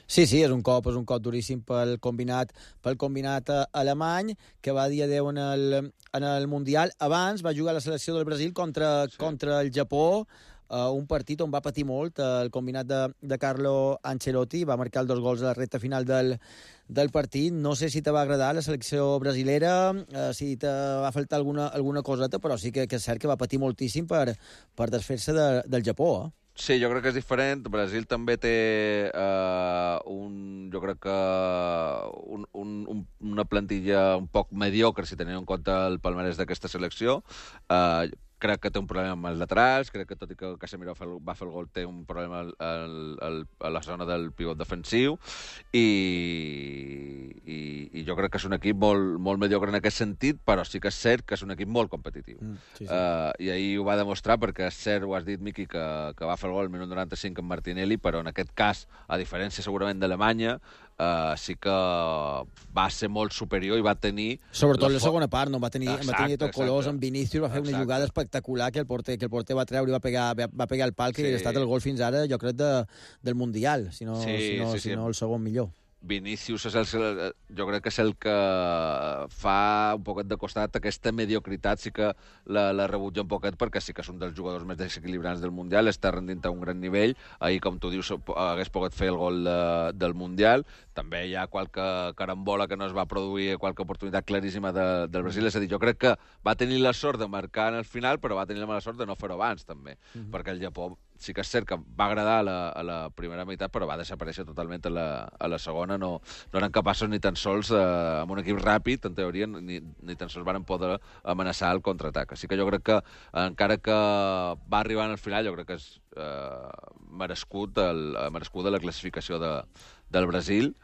Sí, sí, és un cop, és un cop duríssim pel combinat, pel combinat alemany, que va dir adeu en el, en el Mundial. Abans va jugar la selecció del Brasil contra, sí. contra el Japó, uh, un partit on va patir molt el combinat de, de Carlo Ancelotti, va marcar els dos gols a la recta final del, del partit. No sé si te va agradar la selecció brasilera, uh, si te va faltar alguna, alguna coseta, però sí que, que és cert que va patir moltíssim per, per desfer-se de, del Japó, eh? Sí, jo crec que és diferent. Brasil també té eh, un, jo crec que un, un, una plantilla un poc mediocre, si tenim en compte el palmarès d'aquesta selecció. Eh, crec que té un problema amb els laterals, crec que tot i que Casemiro va fer, va fer el gol té un problema al, al, al, a la zona del pivot defensiu, i, i, i jo crec que és un equip molt, molt mediocre en aquest sentit, però sí que és cert que és un equip molt competitiu. Mm, sí, sí. Uh, I ahir ho va demostrar, perquè és cert, ho has dit, Miqui, que, que va fer el gol al minut noranta-cinc amb Martinelli, però en aquest cas, a diferència segurament d'Alemanya, Uh, sí que va ser molt superior i va tenir... Sobretot la segona part, no? Va tenir, exacte, va tenir tot colors amb Vinícius, va fer exacte. Una jugada espectacular que el porter, que el porter va treure i va pegar, va pegar el pal, que sí. Ha estat el gol fins ara, jo crec, de, del Mundial, si no, sí, si no, sí, si no sí. El segon millor. Vinícius és el, jo crec que és el que fa un poquet de costat aquesta mediocritat, sí que la, la rebutja un poquet, perquè sí que és un dels jugadors més desequilibrants del Mundial, està rendint a un gran nivell. Ahir, com tu dius, hagués pogut fer el gol de, del Mundial. També hi ha qualque carambola que no es va produir, qualque oportunitat claríssima de, del Brasil. És a dir, jo crec que va tenir la sort de marcar en el final, però va tenir la mala sort de no fer-ho abans, també, mm-hmm. perquè el Japó sí que és cert que va agradar a la, a la primera meitat, però va desaparèixer totalment a la, a la segona. No, no eren capaços ni tan sols, eh, amb un equip ràpid, en teoria, ni, ni tan sols van poder amenaçar el contraatac. Així que jo crec que, encara que va arribar al final, jo crec que és eh, merescut, el, merescuda la classificació de, del Brasil,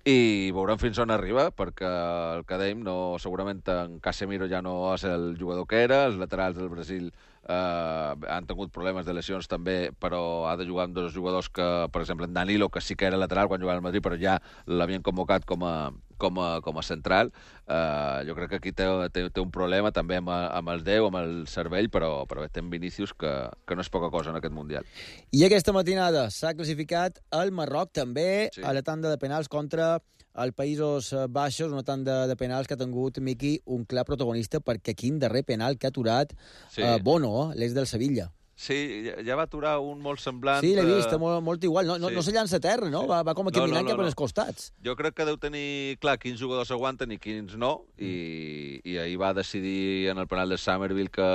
i veurem fins on arriba, perquè el que dèiem, no, segurament en Casemiro ja no és el jugador que era, els laterals del Brasil eh, han tingut problemes de lesions també, però ha de jugar amb dos jugadors que, per exemple, en Danilo, que sí que era lateral quan jugava al Madrid, però ja l'havien convocat com a, com a, com a central. Eh, jo crec que aquí té, té, té un problema també amb, amb el deu, amb el cervell, però, però té en Vinícius, que, que no és poca cosa en aquest Mundial. I aquesta matinada s'ha classificat el Marroc també sí. a la tanda de penals contra els Països Baixos, una tanda de penals que ha tingut, Miqui, un clar protagonista, perquè quin darrer penal que ha aturat sí. eh, Bono, l'ex del Sevilla. Sí, ja, ja va aturar un molt semblant... Sí, l'he vist, molt, molt igual. No, no, sí. no se llança a terra, no? Sí. Va, va com a caminant no, no, no, cap no. als costats. Jo crec que deu tenir clar quins jugadors aguanten i quins no, i, i ahir va decidir en el penal de Somerville que,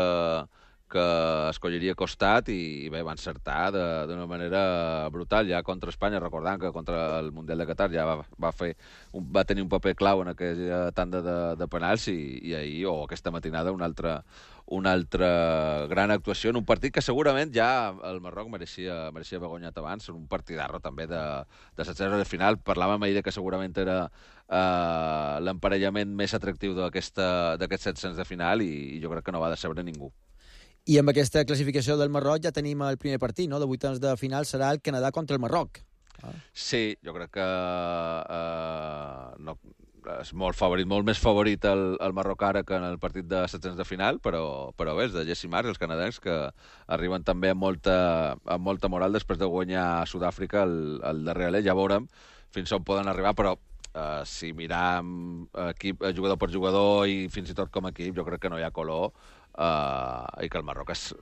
que escolliria costat, i bé, va encertar d'una manera brutal, ja contra Espanya, recordant que contra el Mundial de Qatar ja va, va, fer un, va tenir un paper clau en aquella tanda de, de penals, i, i ahir, o aquesta matinada, una altra, una altra gran actuació en un partit que segurament ja el Marroc mereixia, mereixia haver guanyat abans, un partidarro també de, de setzena de final. Parlàvem ahir que segurament era eh, l'emparellament més atractiu d'aquest set-cents de final, i, i jo crec que no va decebre ningú. I amb aquesta classificació del Marroc ja tenim el primer partit, no?, de vuitens de final, serà el Canadà contra el Marroc. Ah. Sí, jo crec que eh, no, és molt favorit, molt més favorit el, el Marroc ara que en el partit de setzents de final, però, però bé, és de Jesse Marsch, els canadencs, que arriben també amb molta, amb molta moral després de guanyar a Sud-àfrica el, el darrer alè. Ja veurem fins on poden arribar, però eh, si miram equip, jugador per jugador i fins i tot com a equip, jo crec que no hi ha color, Uh, i que el Marroc és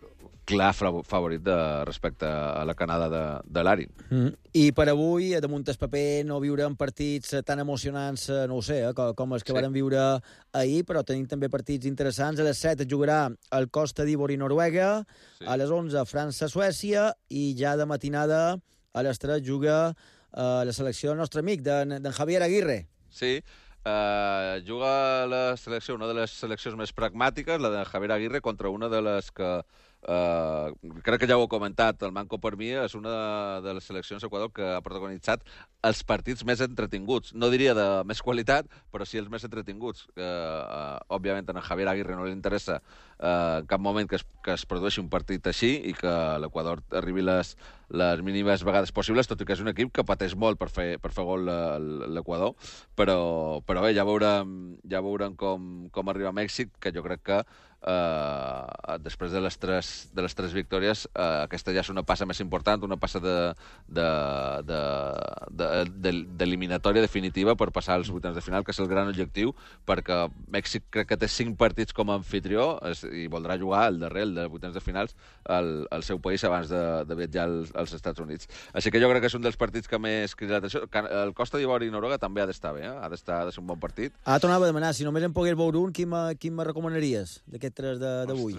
clar favorit de, respecte a la Canadà de, de l'Arin. Mm. I per avui, damunt el paper, no viurem partits tan emocionants, no ho sé, eh, com, com els que sí. varen viure ahir, però tenim també partits interessants. A les set jugarà el Costa d'Ivori i Noruega, sí. a les onze França-Suècia, i ja de matinada a les tres juga uh, la selecció del nostre amic, d'en Javier Aguirre. Sí, Uh, juga la selecció, una de les seleccions més pragmàtiques, la de Javier Aguirre, contra una de les que, uh, crec que ja ho he comentat, el Manco per mi és una de les seleccions d'Equador que ha protagonitzat els partits més entretinguts. No diria de més qualitat, però sí els més entretinguts. Uh, uh, òbviament, a Javier Aguirre no li interessa uh, en cap moment que es, que es produeixi un partit així i que l'Equador arribi les, les mínimes vegades possibles, tot i que és un equip que pateix molt per fer, per fer gol l'Equador, però, però bé, ja veurem, ja veurem com, com arriba a Mèxic, que jo crec que eh, després de les tres, de les tres victòries, eh, aquesta ja és una passa més important, una passa d'eliminatòria de, de, de, de, definitiva per passar als vuitens de final, que és el gran objectiu, perquè Mèxic crec que té cinc partits com a anfitrió es, i voldrà jugar el darrer, el de vuitens de finals, al, al seu país abans de, de viatjar als, als Estats Units. Així que jo crec que és un dels partits que més crida l'atenció. El Costa d'Ivori i Noruega també ha d'estar bé, eh? ha d'estar, ha de ser un bon partit. Ah, tornava a demanar, si només em pogués veure un, quin me, quin me recomanaries d'aquests tres d'avui?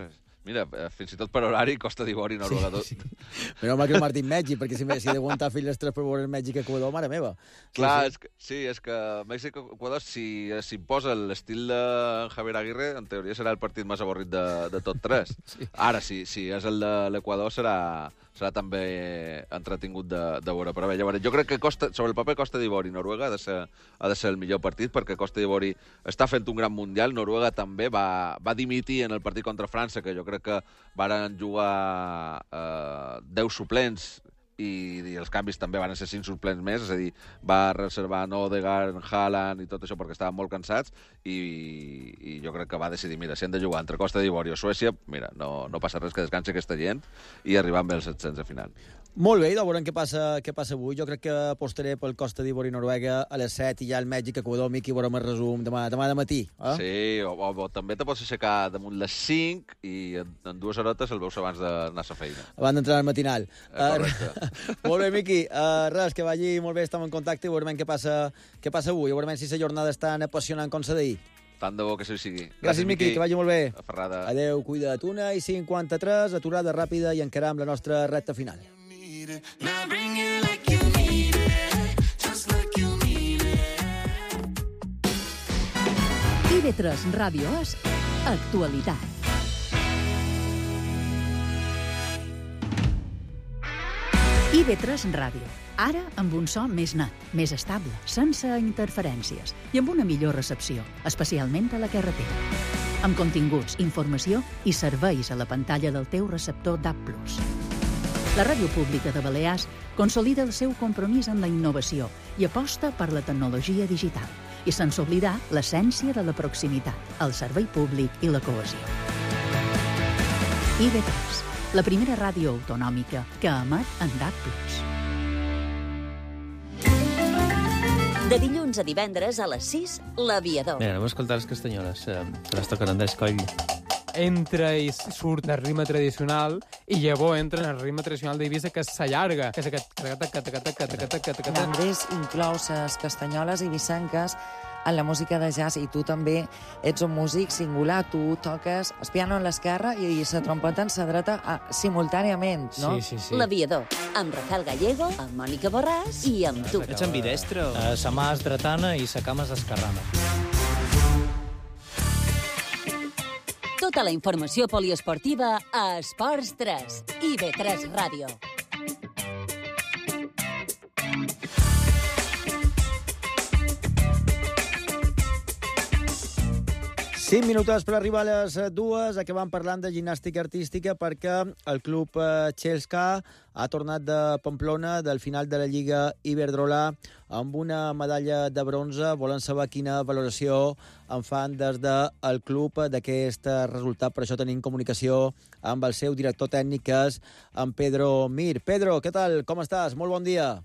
Mira, fins i tot per horari, Costa d'Ivori i Noruega. Sí, sí. Però home que el Martín Mèxic, perquè si, si he d'aguantar fins les tres per veure el Mèxic Equador, mare meva. Clar, sí, sí. És que, sí, és que Mèxic Equador, si s'imposa l'estil de Javier Aguirre, en teoria serà el partit més avorrit de, de tot tres. Sí. Ara, si, si és el de l'Equador, serà, serà també entretingut de, de veure. Però bé, llavors, jo crec que Costa, sobre el paper Costa d'Ivori i Noruega ha de, ser, ha de ser el millor partit, perquè Costa d'Ivori està fent un gran mundial, Noruega també va, va dimitir en el partit contra França, que jo crec que varen jugar eh, deu suplents i, i els canvis també van ser cinc suplents més, és a dir, va reservar Odegaard, Haaland i tot això perquè estaven molt cansats i, i jo crec que va decidir, mira, si hem de jugar entre Costa d'Ivori o Suècia, mira, no, no passa res, que descansi aquesta gent i arribar amb els set-cents de final. Molt bé, i veurem què passa, què passa avui. Jo crec que apostaré pel Costa d'Ivori i Noruega a les set i ja el Mèxic Equador, Miqui, veurem el resum demà, demà de matí. Eh? Sí, o, o, o també te pots aixecar damunt les cinc i en, en dues hores el veus abans d'anar a la feina. Abans d'entrar al matinal. Eh, correcte. Uh, molt bé, Miqui. Uh, res, que vagi molt bé, estem en contacte i veurem què passa, què passa avui. Veurem si la jornada és tan apassionant com la d'ahir. Tant de bo que sí sigui. Gràcies, Gràcies Miqui, que vagi molt bé. A Ferrada. Adéu, cuida't. Una i cinquanta-tres, aturada ràpida i encaram la nostra recta final. I V tres Ràdio és actualitat. I V tres Ràdio. Ara amb un so més net, més estable, sense interferències i amb una millor recepció, especialment a la carretera. Amb continguts, informació i serveis a la pantalla del teu receptor D A B plus. La Ràdio Pública de Balears consolida el seu compromís amb la innovació i aposta per la tecnologia digital i sense oblidar l'essència de la proximitat, el servei públic i la cohesió. I V tres, la primera ràdio autonòmica que emet en D A B plus. De dilluns a divendres a les sis, L'Aviador. Mira, anem a escoltar les castanyoles, eh, que les toquen Andrés Coll. Entra i surt el ritme tradicional i llavors entra en el ritme tradicional d'Eivissa, que s'allarga. Que Andrés inclou les castanyoles eivissenques en la música de jazz i tu també ets un músic singular. Tu toques el piano en l'esquerra i la trompeta en la dreta simultàniament, no? Sí, sí, sí. L'Aviador, amb Rafael Gallego, amb Mònica Borràs i amb tu. Ets ambidestre? Uh, sa mà és dretana i sa cama és esquerrana. Tota la informació poliesportiva a Esports tres, I V tres Ràdio. Cinc minuts per arribar a les dues. Acabem parlant de gimnàstica artística perquè el club Txelska ha tornat de Pamplona del final de la Lliga Iberdrola amb una medalla de bronze. Volen saber quina valoració en fan des del club d'aquest resultat. Per això tenim comunicació amb el seu director tècnic, que és en Pedro Mir. Pedro, què tal? Com estàs? Molt bon dia.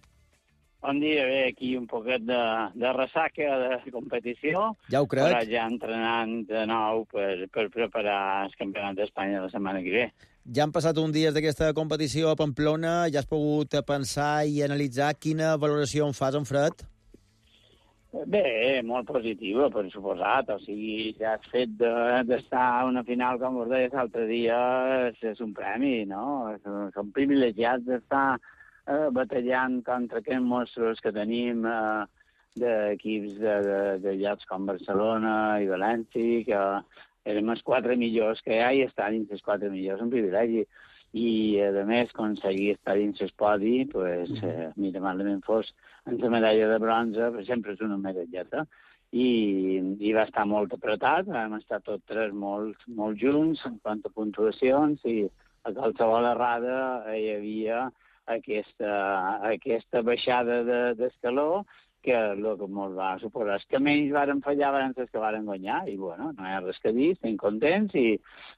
Bon dia, bé, aquí un poquet de, de ressaca de competició. Ja ho crec. Però ja entrenant de nou per, per preparar el Campionat d'Espanya la setmana que ve. Ja han passat un dies d'aquesta competició a Pamplona, ja has pogut pensar i analitzar quina valoració en fas en fred? Bé, molt positiva, per suposat. O sigui, ja has fet d'estar a una final, com us deies l'altre dia, és, és un premi, no? Som privilegiats d'estar eh, batallant contra aquests monstres que tenim eh, d'equips de, de, de llocs com Barcelona i València, que érem els quatre millors que hi ha i estar dins els quatre millors, un privilegi. I, a més, aconseguir estar dins el podi, pues, eh, mira, malament fos, en la medalla de bronze, sempre és una medalleta, i, i va estar molt apretat, vam estar tots tres molt, molt junts en quant a puntuacions, i a qualsevol errada hi havia aquesta, aquesta baixada de, d'escaló, que el que ens va suposar és que menys varen fallar van ser que varen guanyar, i bueno, no hi ha res que dir, estem contents i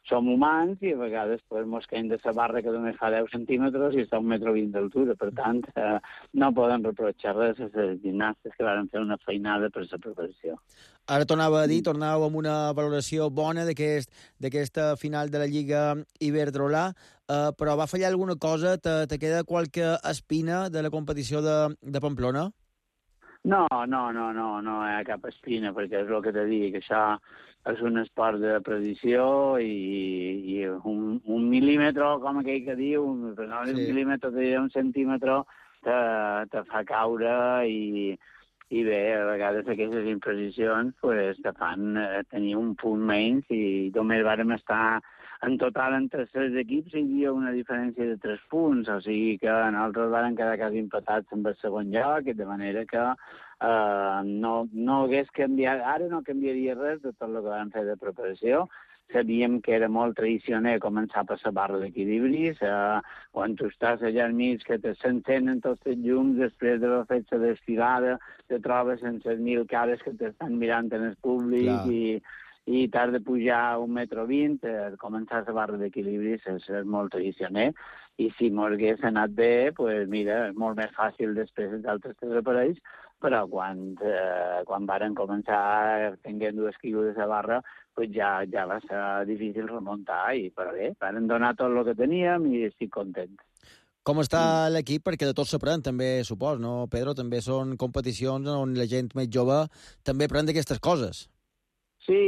som humans i a vegades pues, mos caiem de la barra que només fa deu centímetres i està a un metro vint d'altura, per tant eh, no poden reprochar res a les gimnastes que varen fer una feinada per la preparació. Ara tornava a dir, tornàveu amb una valoració bona d'aquest, d'aquesta final de la Lliga Iberdrola, eh, però va fallar alguna cosa? Te, te queda qualque espina de la competició de, de Pamplona? No, no, no, no, no hi ha cap espina, perquè és el que t'he dit, que això és un esport de precisió i, i un, un mil·límetre, com aquell que diu, però no sí. Un mil·límetre, un centímetre, te, te fa caure i, i bé, a vegades aquestes imprecisions pues, te fan tenir un punt menys i només vàrem estar en total entre tres equips hi havia una diferència de tres punts, o sigui que nosaltres vàrem quedar quasi empatats amb el segon lloc, de manera que eh, no, no hagués canviat, ara no canviaria res de tot el que vam fer de preparació. Sabíem que era molt tradicional començar per la barra d'equilibris, eh, quan tu estàs allà al mig, que s'encenen tots els llums, després d'haver fet la desfilada, te trobes sense les mil cares que t'estan mirant en el públic Clar. i i t'has de pujar un metro vint, eh, començar la barra d'equilibris és, és molt tradicional, i si m'ho hagués anat bé, pues mira, és molt més fàcil després d'altres tres aparells, però quan, eh, quan varen començar tenint dues caigudes a barra, pues ja, ja va ser difícil remuntar, i però bé, varen donar tot el que teníem i estic content. Com està l'equip? Perquè de tot s'aprèn, també, supos, no, Pedro? També són competicions on la gent més jove també aprèn d'aquestes coses. Sí,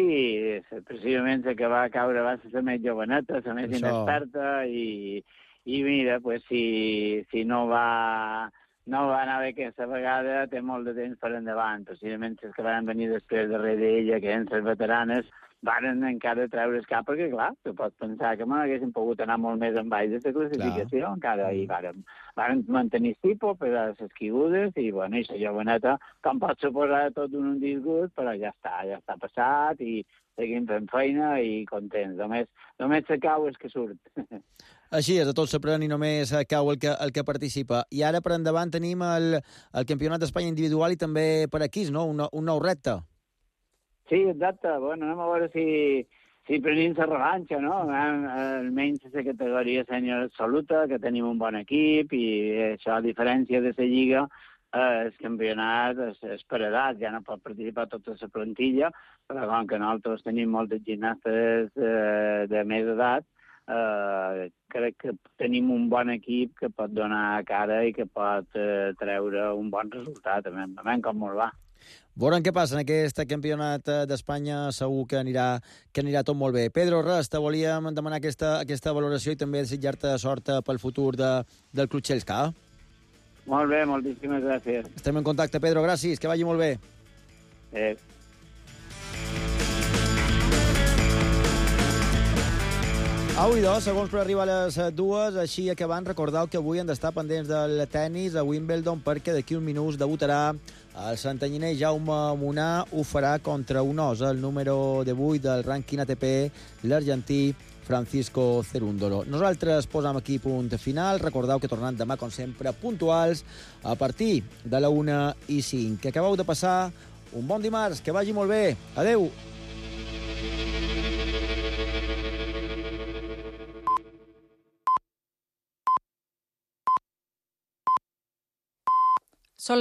precisament que va caure va ser la més joveneta, la més Això. inexperta, i, i mira, pues, si, si no va... No va anar bé aquesta vegada, té molt de temps per endavant. Precisament els que van venir després darrere d'ella, que eren les veteranes, van encara treure's cap, perquè, clar, tu pots pensar que m'haguessin pogut anar molt més en baix de la classificació, clar. Encara hi varen, varen mantenir tipus per a les caigudes, i, bueno, i la joveneta, com pot suposar tot un disgust, però ja està, ja està passat, i seguim fent feina i contents. Només, només se cau és que surt. Així és, a tot s'aprèn i només cau el que, el que participa. I ara per endavant tenim el, el Campionat d'Espanya individual i també per aquí, no? Un, un nou repte. Sí, exacte. Bueno, anem a veure si, si prenim la revanxa, no? Almenys la categoria sènior absoluta, que tenim un bon equip, i això, a diferència de la Lliga, el campionat és, és per edat, ja no pot participar tota la plantilla, però com que nosaltres tenim moltes gimnastes eh, de més edat, eh, crec que tenim un bon equip que pot donar cara i que pot eh, treure un bon resultat, a mi com molt va. Veurem què passa en aquest campionat d'Espanya, segur que anirà, que anirà tot molt bé. Pedro, res, te volíem demanar aquesta, aquesta valoració i també desitjar-te sort pel futur de, del Club Xelska. Molt bé, moltíssimes gràcies. Estem en contacte, Pedro, gràcies, que vagi molt bé. Eh. Au i dos, segons per arribar a les dues, així acabant, recordeu que avui han d'estar pendents del tennis a Wimbledon perquè d'aquí uns minuts debutarà el santanyiner Jaume Munà, ho farà contra un os, el número divuit del rànquing A T P, l'argentí Francisco Cerúndolo. Nosaltres posam aquí punt final. Recordeu que tornant demà, com sempre, puntuals a partir de la una i cinc. Que acabeu de passar un bon dimarts, que vagi molt bé. Adeu!